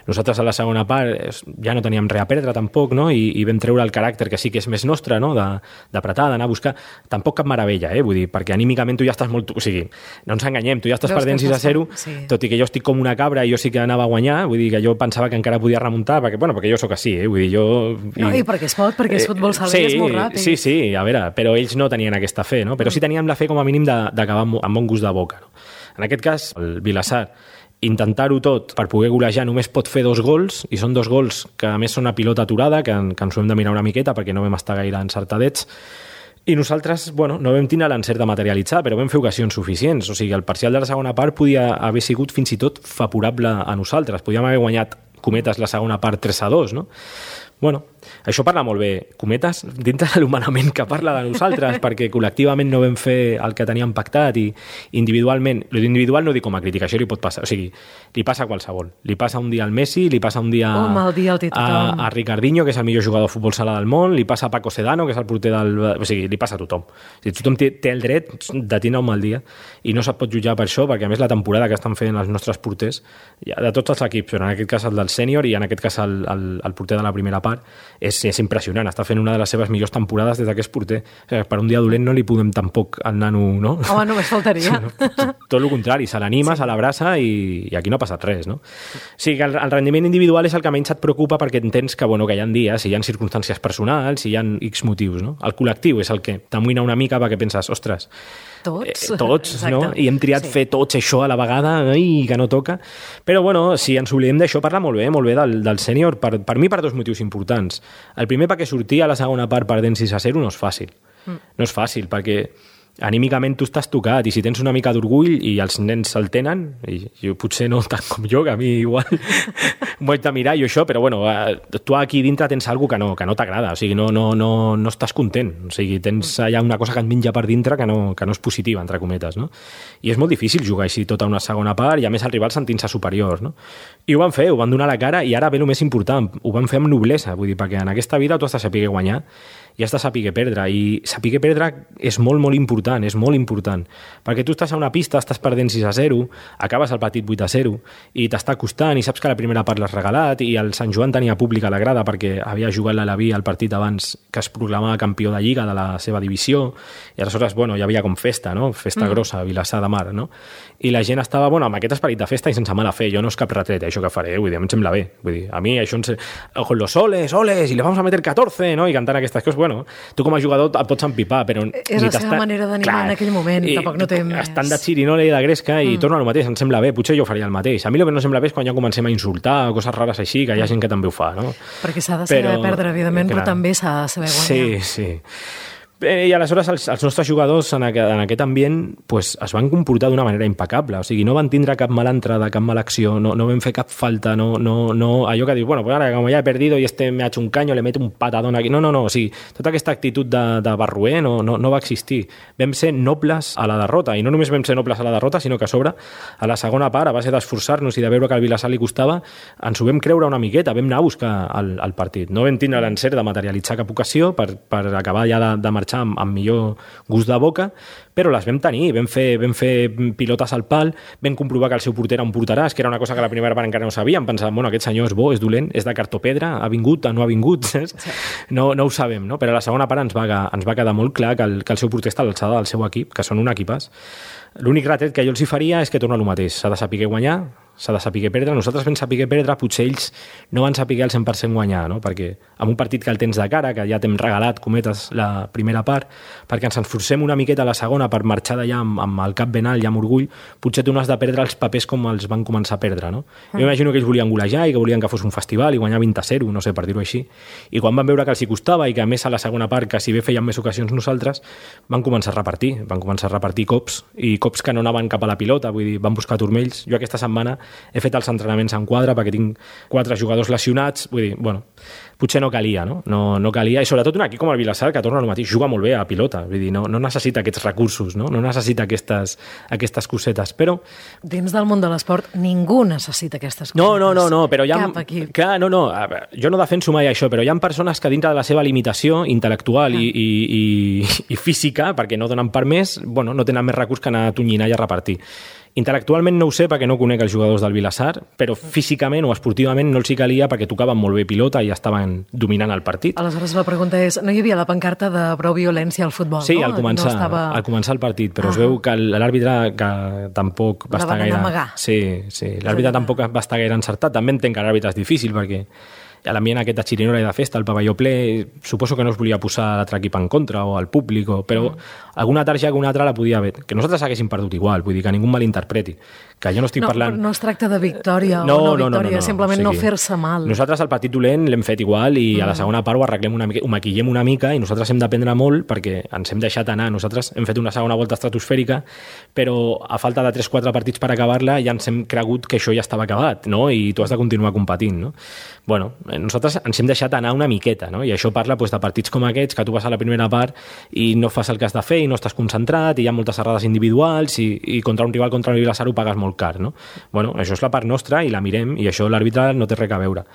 Nosaltres a la segona part ja no teníem res a perdre tampoc, no? I vam treure el caràcter que sí que és més nostre, no? D'apretar, d'anar a buscar. Tampoc cap meravella, vull dir, perquè anímicament tu ja estàs molt... O sigui, no ens enganyem, tu ja estàs perdent 6-0, tot i que jo estic com una cabra i jo sí que anava a guanyar, vull dir que jo pensava que encara podia remuntar, perquè jo sóc així, vull dir, jo... No, i perquè es pot, perquè és futbol salvaje, és molt ràpid. Sí, a veure, però ells no tenien aquesta fe, no? Però sí teníem la fe com a mínim d'acabar amb bon gust de boca, no? En aquest cas, el Vilassar, intentar-ho tot per poder golejar només pot fer 2 gols, i són 2 gols que a més són a pilota aturada, que ens ho hem de mirar una miqueta perquè no vam estar gaire encertadets, i nosaltres, no vam tindre l'encert de materialitzar, però vam fer ocasions suficients. O sigui, el parcial de la segona part podia haver sigut fins i tot favorable a nosaltres. Podíem haver guanyat, cometes, la segona part 3-2, no? Bueno, això parla molt bé, cometes, dintre de l'humanament que parla de nosaltres, perquè col·lectivament no vam fer el que teníem pactat i individualment, l'individual no dic com a crítica, això li pot passar, o sigui, li passa a qualsevol. Li passa un dia al Messi, li passa un dia a Ricardinho, que és el millor jugador de futbol sala del món, li passa a Paco Sedano, que és el porter del... O sigui, li passa a tothom. O sigui, tothom té el dret de tindre un mal dia i no se't pot jutjar per això, perquè a més la temporada que estan fent els nostres porters, de tots els equips, però en aquest cas el del sènior i en aquest cas el porter de la primera part, és impressionant, està fent una de les seves millors temporades des que és porter. O sigui, per un dia dolent no li podem tampoc al nano, no? Home, només faltaria. Tot el contrari, se l'anima, se l'abraça i aquí no ha passat res, no? O sigui, que el rendiment individual és el que menys et preocupa perquè entens que, que hi ha dies, hi ha circumstàncies personals, hi ha X motius, no? El col·lectiu és el que t'amoïna una mica perquè penses, ostres, tots, no? I hem triat fer tots això a la vegada i que no toca. Però, si ens oblidem d'això, parla molt bé del sènior, per mi per 2 motius importants. El primer, perquè sortir a la segona part perdent 6-0 no és fàcil. No és fàcil, perquè anímicament tu estàs tocat i si tens una mica d'orgull i els nens se'l tenen, i jo potser no tant com jo, que a mi igual m'ho haig de mirar i això, però tu aquí dintre tens alguna cosa que no t'agrada, o sigui, no estàs content, o sigui, tens allà una cosa que et menja per dintre que no és positiva, entre cometes, no? I és molt difícil jugar així tota una segona part i a més el rival sentint-se superior, no? I ho van fer, ho van donar la cara i ara ve el més important, ho van fer amb noblesa, vull dir, perquè en aquesta vida tu has de saber guanyar i has de saber perdre, i saber perdre és molt, molt important, és molt important, perquè tu estàs a una pista, estàs perdent 6-0, acabes el partit 8-0, i t'està costant, i saps que la primera part l'has regalat, i el Sant Joan tenia públic a la grada perquè havia jugat l'Alaví al partit abans que es proclamava campió de Lliga de la seva divisió, i aleshores, hi havia com festa, no? Festa grossa a Vilassar de Mar, no? I la gent estava, amb aquest esperit de festa i sense mala fe, jo no és cap retret, això que faré, vull dir, a mi em sembla bé, vull dir, a mi això con los soles, y le vamos a meter 14, no? I cantant aquestes coses, tu com a jugador et pots empipar, però... És la seva manera d'animar en aquell moment, tampoc no té més. Estan de xirinola i de gresca i torna al mateix, em sembla bé, potser jo faria el mateix. A mi el que no sembla bé és quan ja comencem a insultar o coses rares així, que hi ha gent que també ho fa, no? Perquè s'ha de saber perdre, evidentment, però també s'ha de saber guanyar. Sí. I aleshores els nostres jugadors en aquest ambient es van comportar d'una manera impecable, o sigui, no van tindre cap mala entrada, cap mala acció, no vam fer cap falta, no allò que dius, ara com ja he perdido y me ha hecho un caño, le meto un patadón aquí, no, o sigui, tota aquesta actitud de barruer no va existir. Vam ser nobles a la derrota, i no només vam ser nobles a la derrota, sinó que a sobre, a la segona part, a base d'esforçar-nos i de veure que al Vilassar li costava, ens ho vam creure una miqueta, vam anar a buscar el partit. No vam tindre l'encert de materialitzar cap ocasió per acabar ja de marxar amb millor gust de boca, però les vam tenir, vam fer pilotes al pal, vam comprovar que el seu porter era un porteràs, que era una cosa que la primera part encara no sabíem, pensàvem, aquest senyor és bo, és dolent, és de cartopedra, ha vingut, no ha vingut, no ho sabem, no? Però a la segona part ens va quedar molt clar que el seu porter està a l'alçada del seu equip, que són un equipàs. L'únic retret que jo els hi faria és que torna el mateix, s'ha de saber guanyar, s'ha de saber perdre. Nosaltres vam saber perdre, potser ells no van saber al 100% guanyar, no? Perquè amb un partit que el tens de cara, que ja t'hem regalat, cometes, la primera part, perquè ens esforcem una miqueta a la segona per marxar d'allà amb el cap ben alt i amb orgull, potser tu no has de perdre els papers com els van començar a perdre, no? Jo imagino que ells volien golejar i que volien que fos un festival i guanyar 20-0, no sé, per dir-ho així. I quan van veure que els hi costava i que a més a la segona part, que si bé feien més ocasions nosaltres, van començar a repartir cops, i cops que no anaven cap a la pilota, vull dir, van buscar turmells. Jo aquesta setmana he fet els entrenaments en quadre perquè tinc 4 jugadors lesionats, vull dir, bueno, potser no calia, no? No calia, i sobretot un equip com el Vilassar, que torna al mateix, juga molt bé a la pilota, vull dir, no necessita aquests recursos, no necessita aquestes cosetes, però... Dins del món de l'esport ningú necessita aquestes cosetes. No, però hi ha... Cap equip. Clar, jo no defenso mai això, però hi ha persones que dintre de la seva limitació intel·lectual i física, perquè no donen per més, bueno, no tenen més recurs que anar a tonyinar i a repartir. Intel·lectualment no ho sé perquè no conec els jugadors del Vilassar, però físicament o esportivament no els hi calia perquè tocaven molt bé pilota i estaven dominant el partit. Aleshores la pregunta és, no hi havia la pancarta de prou violència al futbol, sí, no? Al començar el partit, però es veu que l'àrbitre que tampoc va estar gaire... amagar. Sí, l'àrbitre tampoc va estar gaire encertat. També entenc que l'àrbitre és difícil perquè a l'ambient aquest de xirinola i de festa, el pavelló ple, suposo que no es volia posar l'altre equip en contra o al públic, però alguna targeta que una altra la podia haver. Que nosaltres haguéssim perdut igual, vull dir que ningú malinterpreti. Que jo no estic parlant... No es tracta de victòria o no victòria, simplement no fer-se mal. Nosaltres el partit dolent l'hem fet igual i a la segona part ho arreglem una mica, ho maquillem una mica i nosaltres hem d'aprendre molt perquè ens hem deixat anar. Nosaltres hem fet una segona volta estratosfèrica, però a falta de 3-4 partits per acabar-la ja ens hem cregut que això ja estava acabat, no? I tu has de continuar competint, no? Bueno, nosaltres ens hem deixat anar una miqueta, no? I això parla de partits com aquests, que tu vas a la primera part i no fas el que has de fer i no estàs concentrat i hi ha moltes errades individuals i contra un rival, contra el Vilassar, ho pagues molt car, no? Bueno, això és la part nostra i la mirem i això l'àrbitre no té res a veure.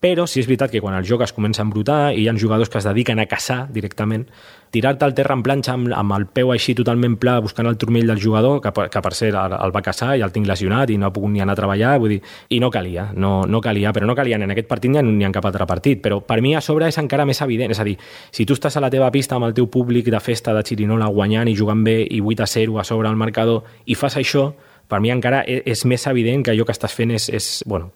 Però sí és veritat que quan el joc es comença a embrutar i hi ha jugadors que es dediquen a caçar directament, tirar-te al terra en planxa amb el peu així totalment pla buscant el turmell del jugador, que per cert el va caçar i el tinc lesionat i no ha pogut ni anar a treballar, vull dir, i no calia, però no calia ni en aquest partit ni en cap altre partit, però per mi a sobre és encara més evident, és a dir, si tu estàs a la teva pista amb el teu públic de festa de xirinola guanyant i jugant bé i 8-0 a sobre el marcador i fas això, per mi encara és més evident que allò que estàs fent és bueno,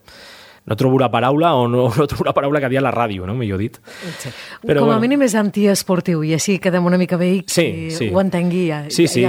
no trobo la paraula o no trobo la paraula que dia a la ràdio, no? Millor dit. Sí. Però, com a mínim és antiesportiu i així quedem una mica bé i sí. Ho entengui ja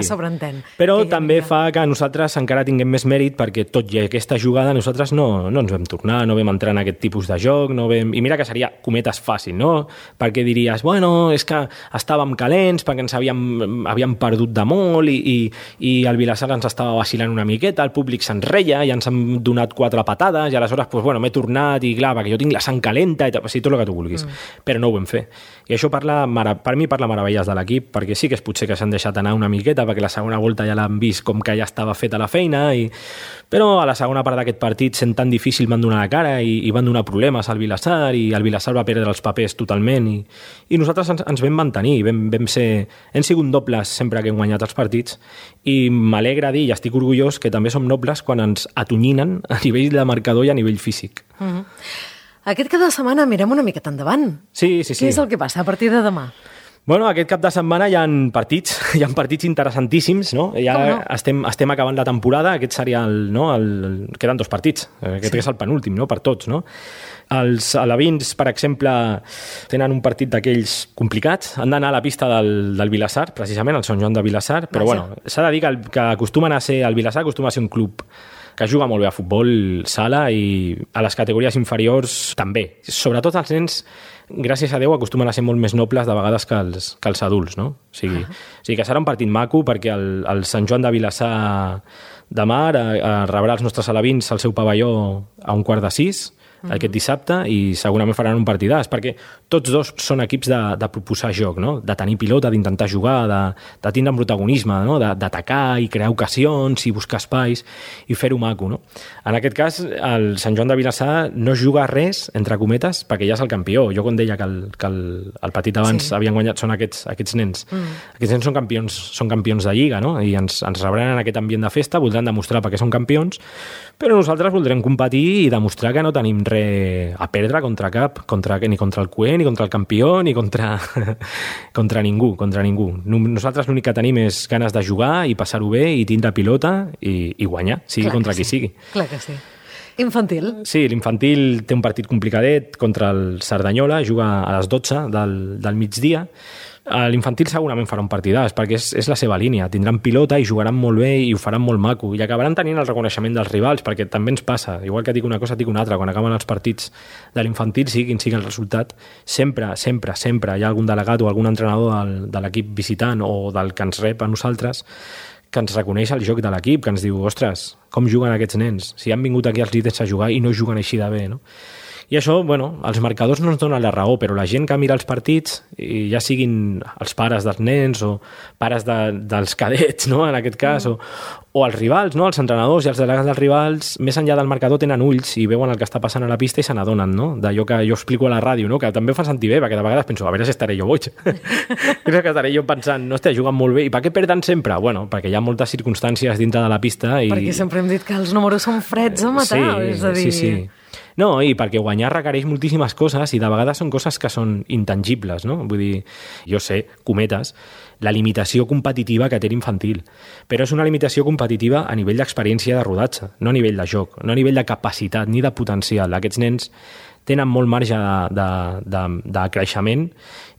sobreentén. Però també fa que nosaltres encara tinguem més mèrit perquè tot i aquesta jugada nosaltres no ens vam tornar, no vam entrar en aquest tipus de joc, i mira que seria cometes fàcil, no? Perquè diries, bueno, és que estàvem calents perquè ens havíem perdut de molt i el Vilassar ens estava vacilant una miqueta, el públic se'n reia i ens han donat 4 patades i aleshores, pues, bueno, m'he tornat i clar, perquè jo tinc la sang calenta i tot el que tu vulguis, però no ho vam fer. I això per mi parla meravelles de l'equip, perquè sí que és potser que s'han deixat anar una miqueta, perquè la segona volta ja l'han vist com que ja estava feta la feina, però a la segona part d'aquest partit, sent tan difícil, van donar la cara i van donar problemes al Vilassar i el Vilassar va perdre els papers totalment i nosaltres ens vam mantenir, hem sigut nobles sempre que hem guanyat els partits i m'alegra dir i estic orgullós que també som nobles quan ens atonyinen a nivell de marcador i a nivell físic. Aquest cap de setmana mirem una miqueta endavant. Sí. Què és el que passa a partir de demà? Bueno, aquest cap de setmana hi ha partits interessantíssims, no? Ja estem acabant la temporada, aquest seria queden 2 partits, aquest és el penúltim, no? Per tots, no? Els alevins, per exemple, tenen un partit d'aquells complicats, han d'anar a la pista del Vilassar, precisament, al Sant Joan de Vilassar, però bueno, s'ha de dir que acostumen a ser, el Vilassar acostuma a ser un club que juga molt bé a futbol sala i a les categories inferiors també. Sobretot els nens, gràcies a Déu, acostumen a ser molt més nobles de vegades que els adults, no? O sigui que serà un partit maco perquè el Sant Joan de Vilassar de Mar rebrà els nostres alevins al seu pavelló a 5:45 aquest dissabte i segurament faran un partidàs perquè tots dos són equips de proposar joc, no? De tenir pilota, d'intentar jugar, de tindre un protagonisme, no? D'atacar i crear ocasions i buscar espais i fer-ho maco, no? En aquest cas, el Sant Joan de Vilassar no juga res, entre cometes, perquè ja és el campió. Jo quan deia que el petit abans havien guanyat són aquests nens. Aquests nens són campions de Lliga, no? I ens rebran en aquest ambient de festa, voldran demostrar perquè són campions, però nosaltres voldrem competir i demostrar que no tenim res a perdre ni contra el cué, ni contra el campió, ni contra ningú. Nosaltres l'únic que tenim és ganes de jugar i passar-ho bé i tindre pilota i guanyar, sigui contra qui sigui. Clar que sí. Infantil. Sí, l'infantil té un partit complicadet contra el Cerdanyola, juga a les 12 del migdia. L'infantil segurament farà un partidàs, perquè és la seva línia. Tindran pilota i jugaran molt bé i ho faran molt maco. I acabaran tenint el reconeixement dels rivals, perquè també ens passa. Igual que dic una cosa, dic una altra. Quan acaben els partits de l'infantil, sigui quin sigui el resultat, sempre hi ha algun delegat o algun entrenador de l'equip visitant o del que ens rep a nosaltres que ens reconeix el joc de l'equip, que ens diu, ostres, com juguen aquests nens? Si han vingut aquí els líders a jugar i no juguen així de bé, no? I això, bueno, els marcadors no ens donen la raó, però la gent que mira els partits, ja siguin els pares dels nens o pares dels cadets, no?, en aquest cas, o els rivals, no?, els entrenadors i els delegats dels rivals, més enllà del marcador tenen ulls i veuen el que està passant a la pista i se n'adonen, no?, d'allò que jo explico a la ràdio, no?, que també ho fa sentir bé, perquè de vegades penso, a veure si estaré jo boig. Crec que estaré jo pensant, no, hòstia, juguen molt bé. I per què perden sempre? Bueno, perquè hi ha moltes circumstàncies dintre de la pista. Perquè sempre hem dit que els números són freds a matar, és a dir... Sí. No, i perquè guanyar requereix moltíssimes coses i de vegades són coses que són intangibles, no? Vull dir, jo sé, cometes, la limitació competitiva que té l'infantil, però és una limitació competitiva a nivell d'experiència de rodatge, no a nivell de joc, no a nivell de capacitat ni de potencial. Aquests nens tenen molt marge de creixement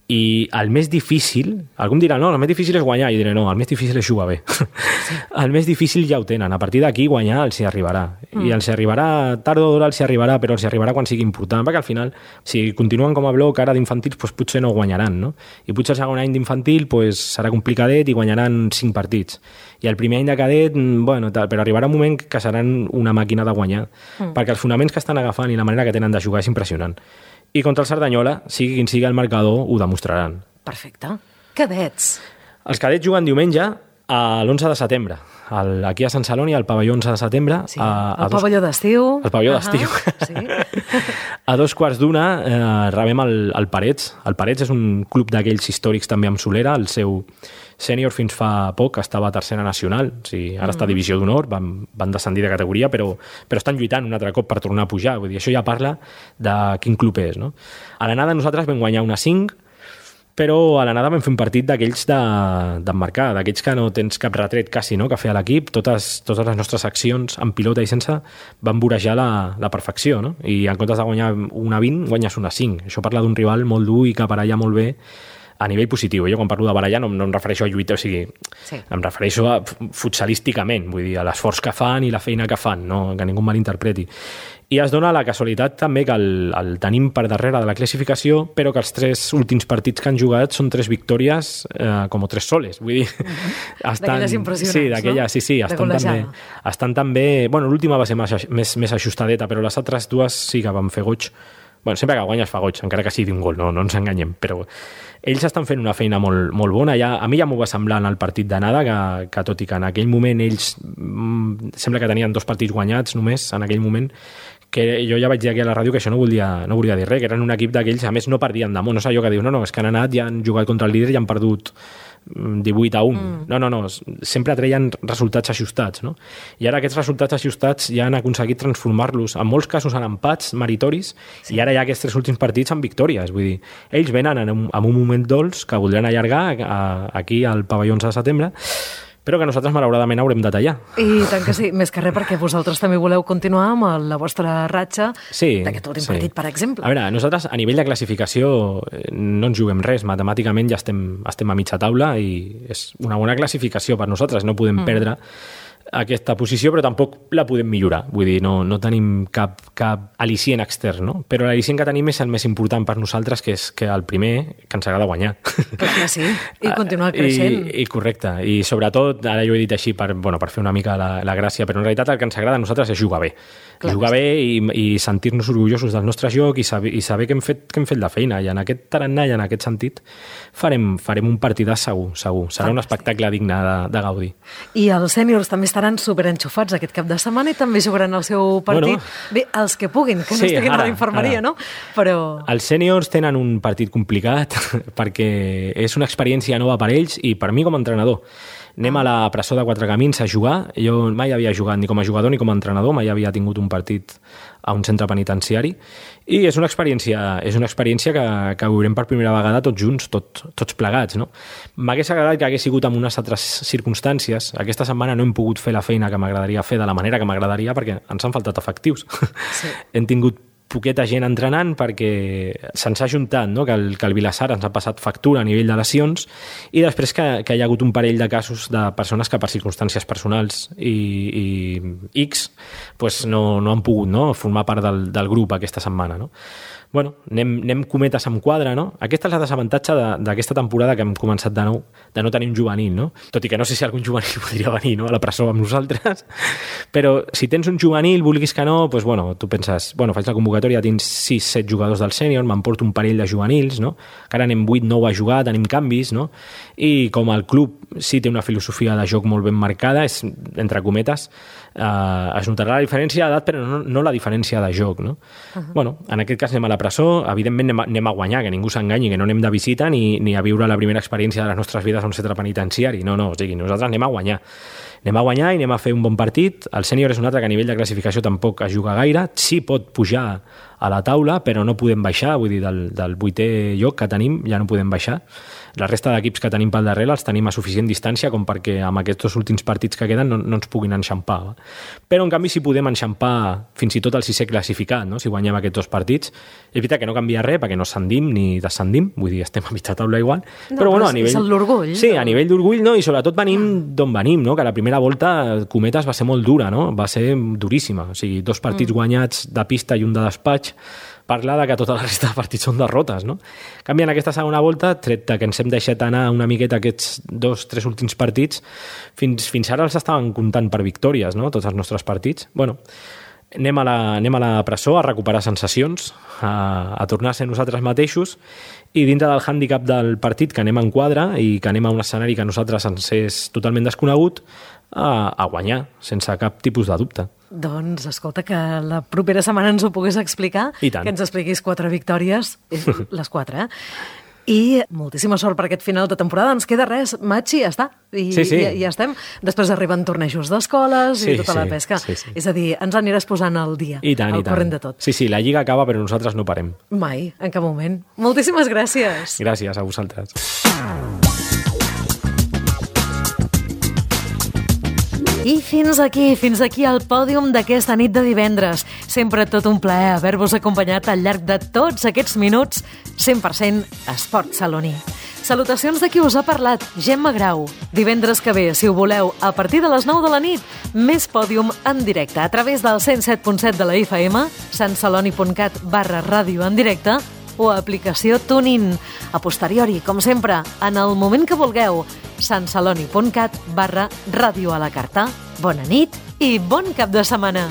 i el més difícil, algú em dirà, no, el més difícil és guanyar, i diré, no, el més difícil és jugar bé. Sí. El més difícil ja ho tenen, a partir d'aquí guanyar els hi arribarà. I els hi arribarà, tard o d'hora els hi arribarà, però els hi arribarà quan sigui important, perquè al final, si continuen com a bloc ara d'infantils, doncs potser no guanyaran, no? I potser el segon any d'infantil doncs, serà complicadet i guanyaran 5 partits. I el primer any de cadet, bueno, tal, però arribarà un moment que seran una màquina de guanyar, perquè els fonaments que estan agafant i la manera que tenen de jugar és impressionant. I contra el Cerdanyola, sigui quin sigui el marcador, ho demostraran. Perfecte. Cadets. Els cadets juguen diumenge a l'11 de setembre, aquí a Sant Celoni, al pavelló 11 de setembre. Sí, el pavelló d'estiu. El pavelló d'estiu. Sí. A 2:15 rebem el Parets. El Parets és un club d'aquells històrics també amb solera. El seu sènior fins fa poc estava a tercera nacional. O sigui, ara està a divisió d'honor, van descendir de categoria, però estan lluitant un altre cop per tornar a pujar. Vull dir, això ja parla de quin club és, no? A l'anada nosaltres vam guanyar una 5, però a l'anada vam fer un partit d'aquells d'emmarcar, d'aquells que no tens cap retret quasi, no?, que feia l'equip. Totes les nostres accions en pilota i sense van vorejar la perfecció, no? I en comptes de guanyar una 20, guanyes una 5. Això parla d'un rival molt dur i que baralla molt bé a nivell positiu. Jo quan parlo de barallar no em refereixo a lluita, o sigui, em refereixo a futsalísticament, vull dir, a l'esforç que fan i la feina que fan, no? Que ningú malinterpreti. I es dona la casualitat també que el tenim per darrere de la classificació, però que els 3 últims partits que han jugat són 3 victòries com 3 soles. Vull dir, d'aquelles impressionants, sí, d'aquelles, no? Sí, estan també... Bueno, l'última va ser més ajustadeta, però les altres 2 sí que van fer goig. Bueno, sempre que guanyes fa goig, encara que sigui un gol, no ens enganyem, però ells estan fent una feina molt, molt bona. A mi ja m'ho va semblar en el partit d'anada, que tot i que en aquell moment ells sembla que tenien 2 partits guanyats només en aquell moment, que jo ja vaig dir aquí a la ràdio que això no volia dir res, que eren un equip d'aquells, a més no perdien damunt, no és allò que diu, no, és que han anat i han jugat contra el líder i han perdut 18-1. No, sempre treien resultats ajustats, no? I ara aquests resultats ajustats ja han aconseguit transformar-los, en molts casos en empats meritoris, i ara ja aquests 3 últims partits en victòries. Vull dir, ells venen en un moment dolç que voldran allargar aquí al pavelló 11 de setembre, però que nosaltres malauradament haurem de tallar. I tant que sí, més que res perquè vosaltres també voleu continuar amb la vostra ratxa d'aquest últim partit, per exemple. A veure, nosaltres a nivell de classificació no ens juguem res, matemàticament ja estem a mitja taula i és una bona classificació per nosaltres, no podem perdre aquesta posició, però tampoc la podem millorar. Vull dir, no tenim cap al·licient extern, no? Però l'al·licient que tenim és el més important per nosaltres, que és que el primer que ens agrada guanyar. Clar que sí, i continuar creixent. I correcte, i sobretot, ara jo he dit així per fer una mica la gràcia, però en realitat el que ens agrada a nosaltres és jugar bé. Clar, jugar bé i sentir-nos orgullosos del nostre joc i saber que hem fet la feina. I en aquest tarannà i en aquest sentit farem un partidàs segur. Serà un espectacle digne de gaudir. I els sèniors també estaran superenxufats aquest cap de setmana i també jugaran el seu partit. Bueno, bé, els que puguin, que no estiguin a la infermeria, no? Però... Els sèniors tenen un partit complicat perquè és una experiència nova per ells i per mi com a entrenador. Anem a la Presó de Quatre Camins a jugar. Jo mai havia jugat ni com a jugador ni com a entrenador, mai havia tingut un partit a un centre penitenciari, i és una experiència que viurem per primera vegada tots junts, tots plegats, no? M'hagués agradat que hagués sigut en unes altres circumstàncies. Aquesta setmana no hem pogut fer la feina que m'agradaria fer de la manera que m'agradaria perquè ens han faltat efectius. Sí. Hem tingut poqueta gent entrenant perquè se'ns ha ajuntat, no? que el Vilassar ens ha passat factura a nivell de lesions, i després que hi ha hagut un parell de casos de persones que per circumstàncies personals i X pues no han pogut, no? formar part del grup aquesta setmana. No? Bueno, anem cometes amb quadre, no? Aquesta és el desavantatge d'aquesta temporada que hem començat de nou, de no tenir un juvenil, no? Tot i que no sé si algun juvenil podria venir, no? A la presó amb nosaltres, però si tens un juvenil, vulguis que no, doncs, bueno, tu penses, bueno, faig la convocatòria, tinc 6-7 jugadors del sènior, m'emporto un parell de juvenils, no? Que ara anem 8-9 a jugar, tenim canvis, no? I com el club sí té una filosofia de joc molt ben marcada, és, entre cometes, es notarà la diferència d'edat, però no la diferència de joc, no? Bueno, en aquest cas anem a la presó, evidentment anem a guanyar, que ningú s'enganyi, que no anem de visita ni a viure la primera experiència de les nostres vides a un centre penitenciari, no, o sigui, nosaltres anem a guanyar i anem a fer un bon partit. El sènior és un altre que a nivell de classificació tampoc es juga gaire, sí pot pujar a la taula, però no podem baixar, vull dir, del 8è lloc que tenim ja no podem baixar. La resta d'equips que tenim pel darrere els tenim a suficient distància com perquè amb aquests 2 últims partits que queden no ens puguin enxampar. Però, en canvi, sí podem enxampar fins i tot el 6è classificat, no? Si guanyem aquests 2 partits. És veritat que no canvia res perquè no ascendim ni descendim, vull dir, estem a mitja taula igual. No, però bueno, a nivell... és l'orgull. Sí, a nivell d'orgull, no? I sobretot venim d'on venim, no? Que la primera volta Cometes va ser molt dura, no? Va ser duríssima. O sigui, 2 partits guanyats de pista i un de despatx, parla de que tota la resta de partits són derrotes, no? En canvi, en aquesta segona volta, tret que ens hem deixat anar una miqueta aquests 2-3 últims partits, fins ara els estaven comptant per victòries, no? Tots els nostres partits. Bueno, anem a la presó a recuperar sensacions, a tornar a ser nosaltres mateixos, i dintre del hàndicap del partit, que anem en quadre i que anem a un escenari que a nosaltres ens és totalment desconegut, a guanyar, sense cap tipus de dubte. Doncs, escolta, que la propera setmana ens ho pogués explicar, que ens expliquis 4 victòries, les 4, I moltíssima sort per aquest final de temporada. Ens queda res, Matxi, ja està. I ja estem. Després arriben tornejos d'escoles i tota la pesca. Sí. És a dir, ens aniràs posant al dia, al corrent de tot. Sí, la lliga acaba, però nosaltres no parem. Mai, en cap moment. Moltíssimes gràcies. Gràcies a vosaltres. I fins aquí el pòdium d'aquesta nit de divendres. Sempre tot un plaer haver-vos acompanyat al llarg de tots aquests minuts 100% esport saloní. Salutacions de qui us ha parlat, Gemma Grau. Divendres que ve, si ho voleu, a partir de les 9 de la nit, més pòdium en directe a través del 107.7 de la FM, santceloni.cat/ràdio en directe, o aplicació TuneIn. A posteriori, com sempre, en el moment que vulgueu, santceloni.cat/ràdio a la carta. Bona nit i bon cap de setmana.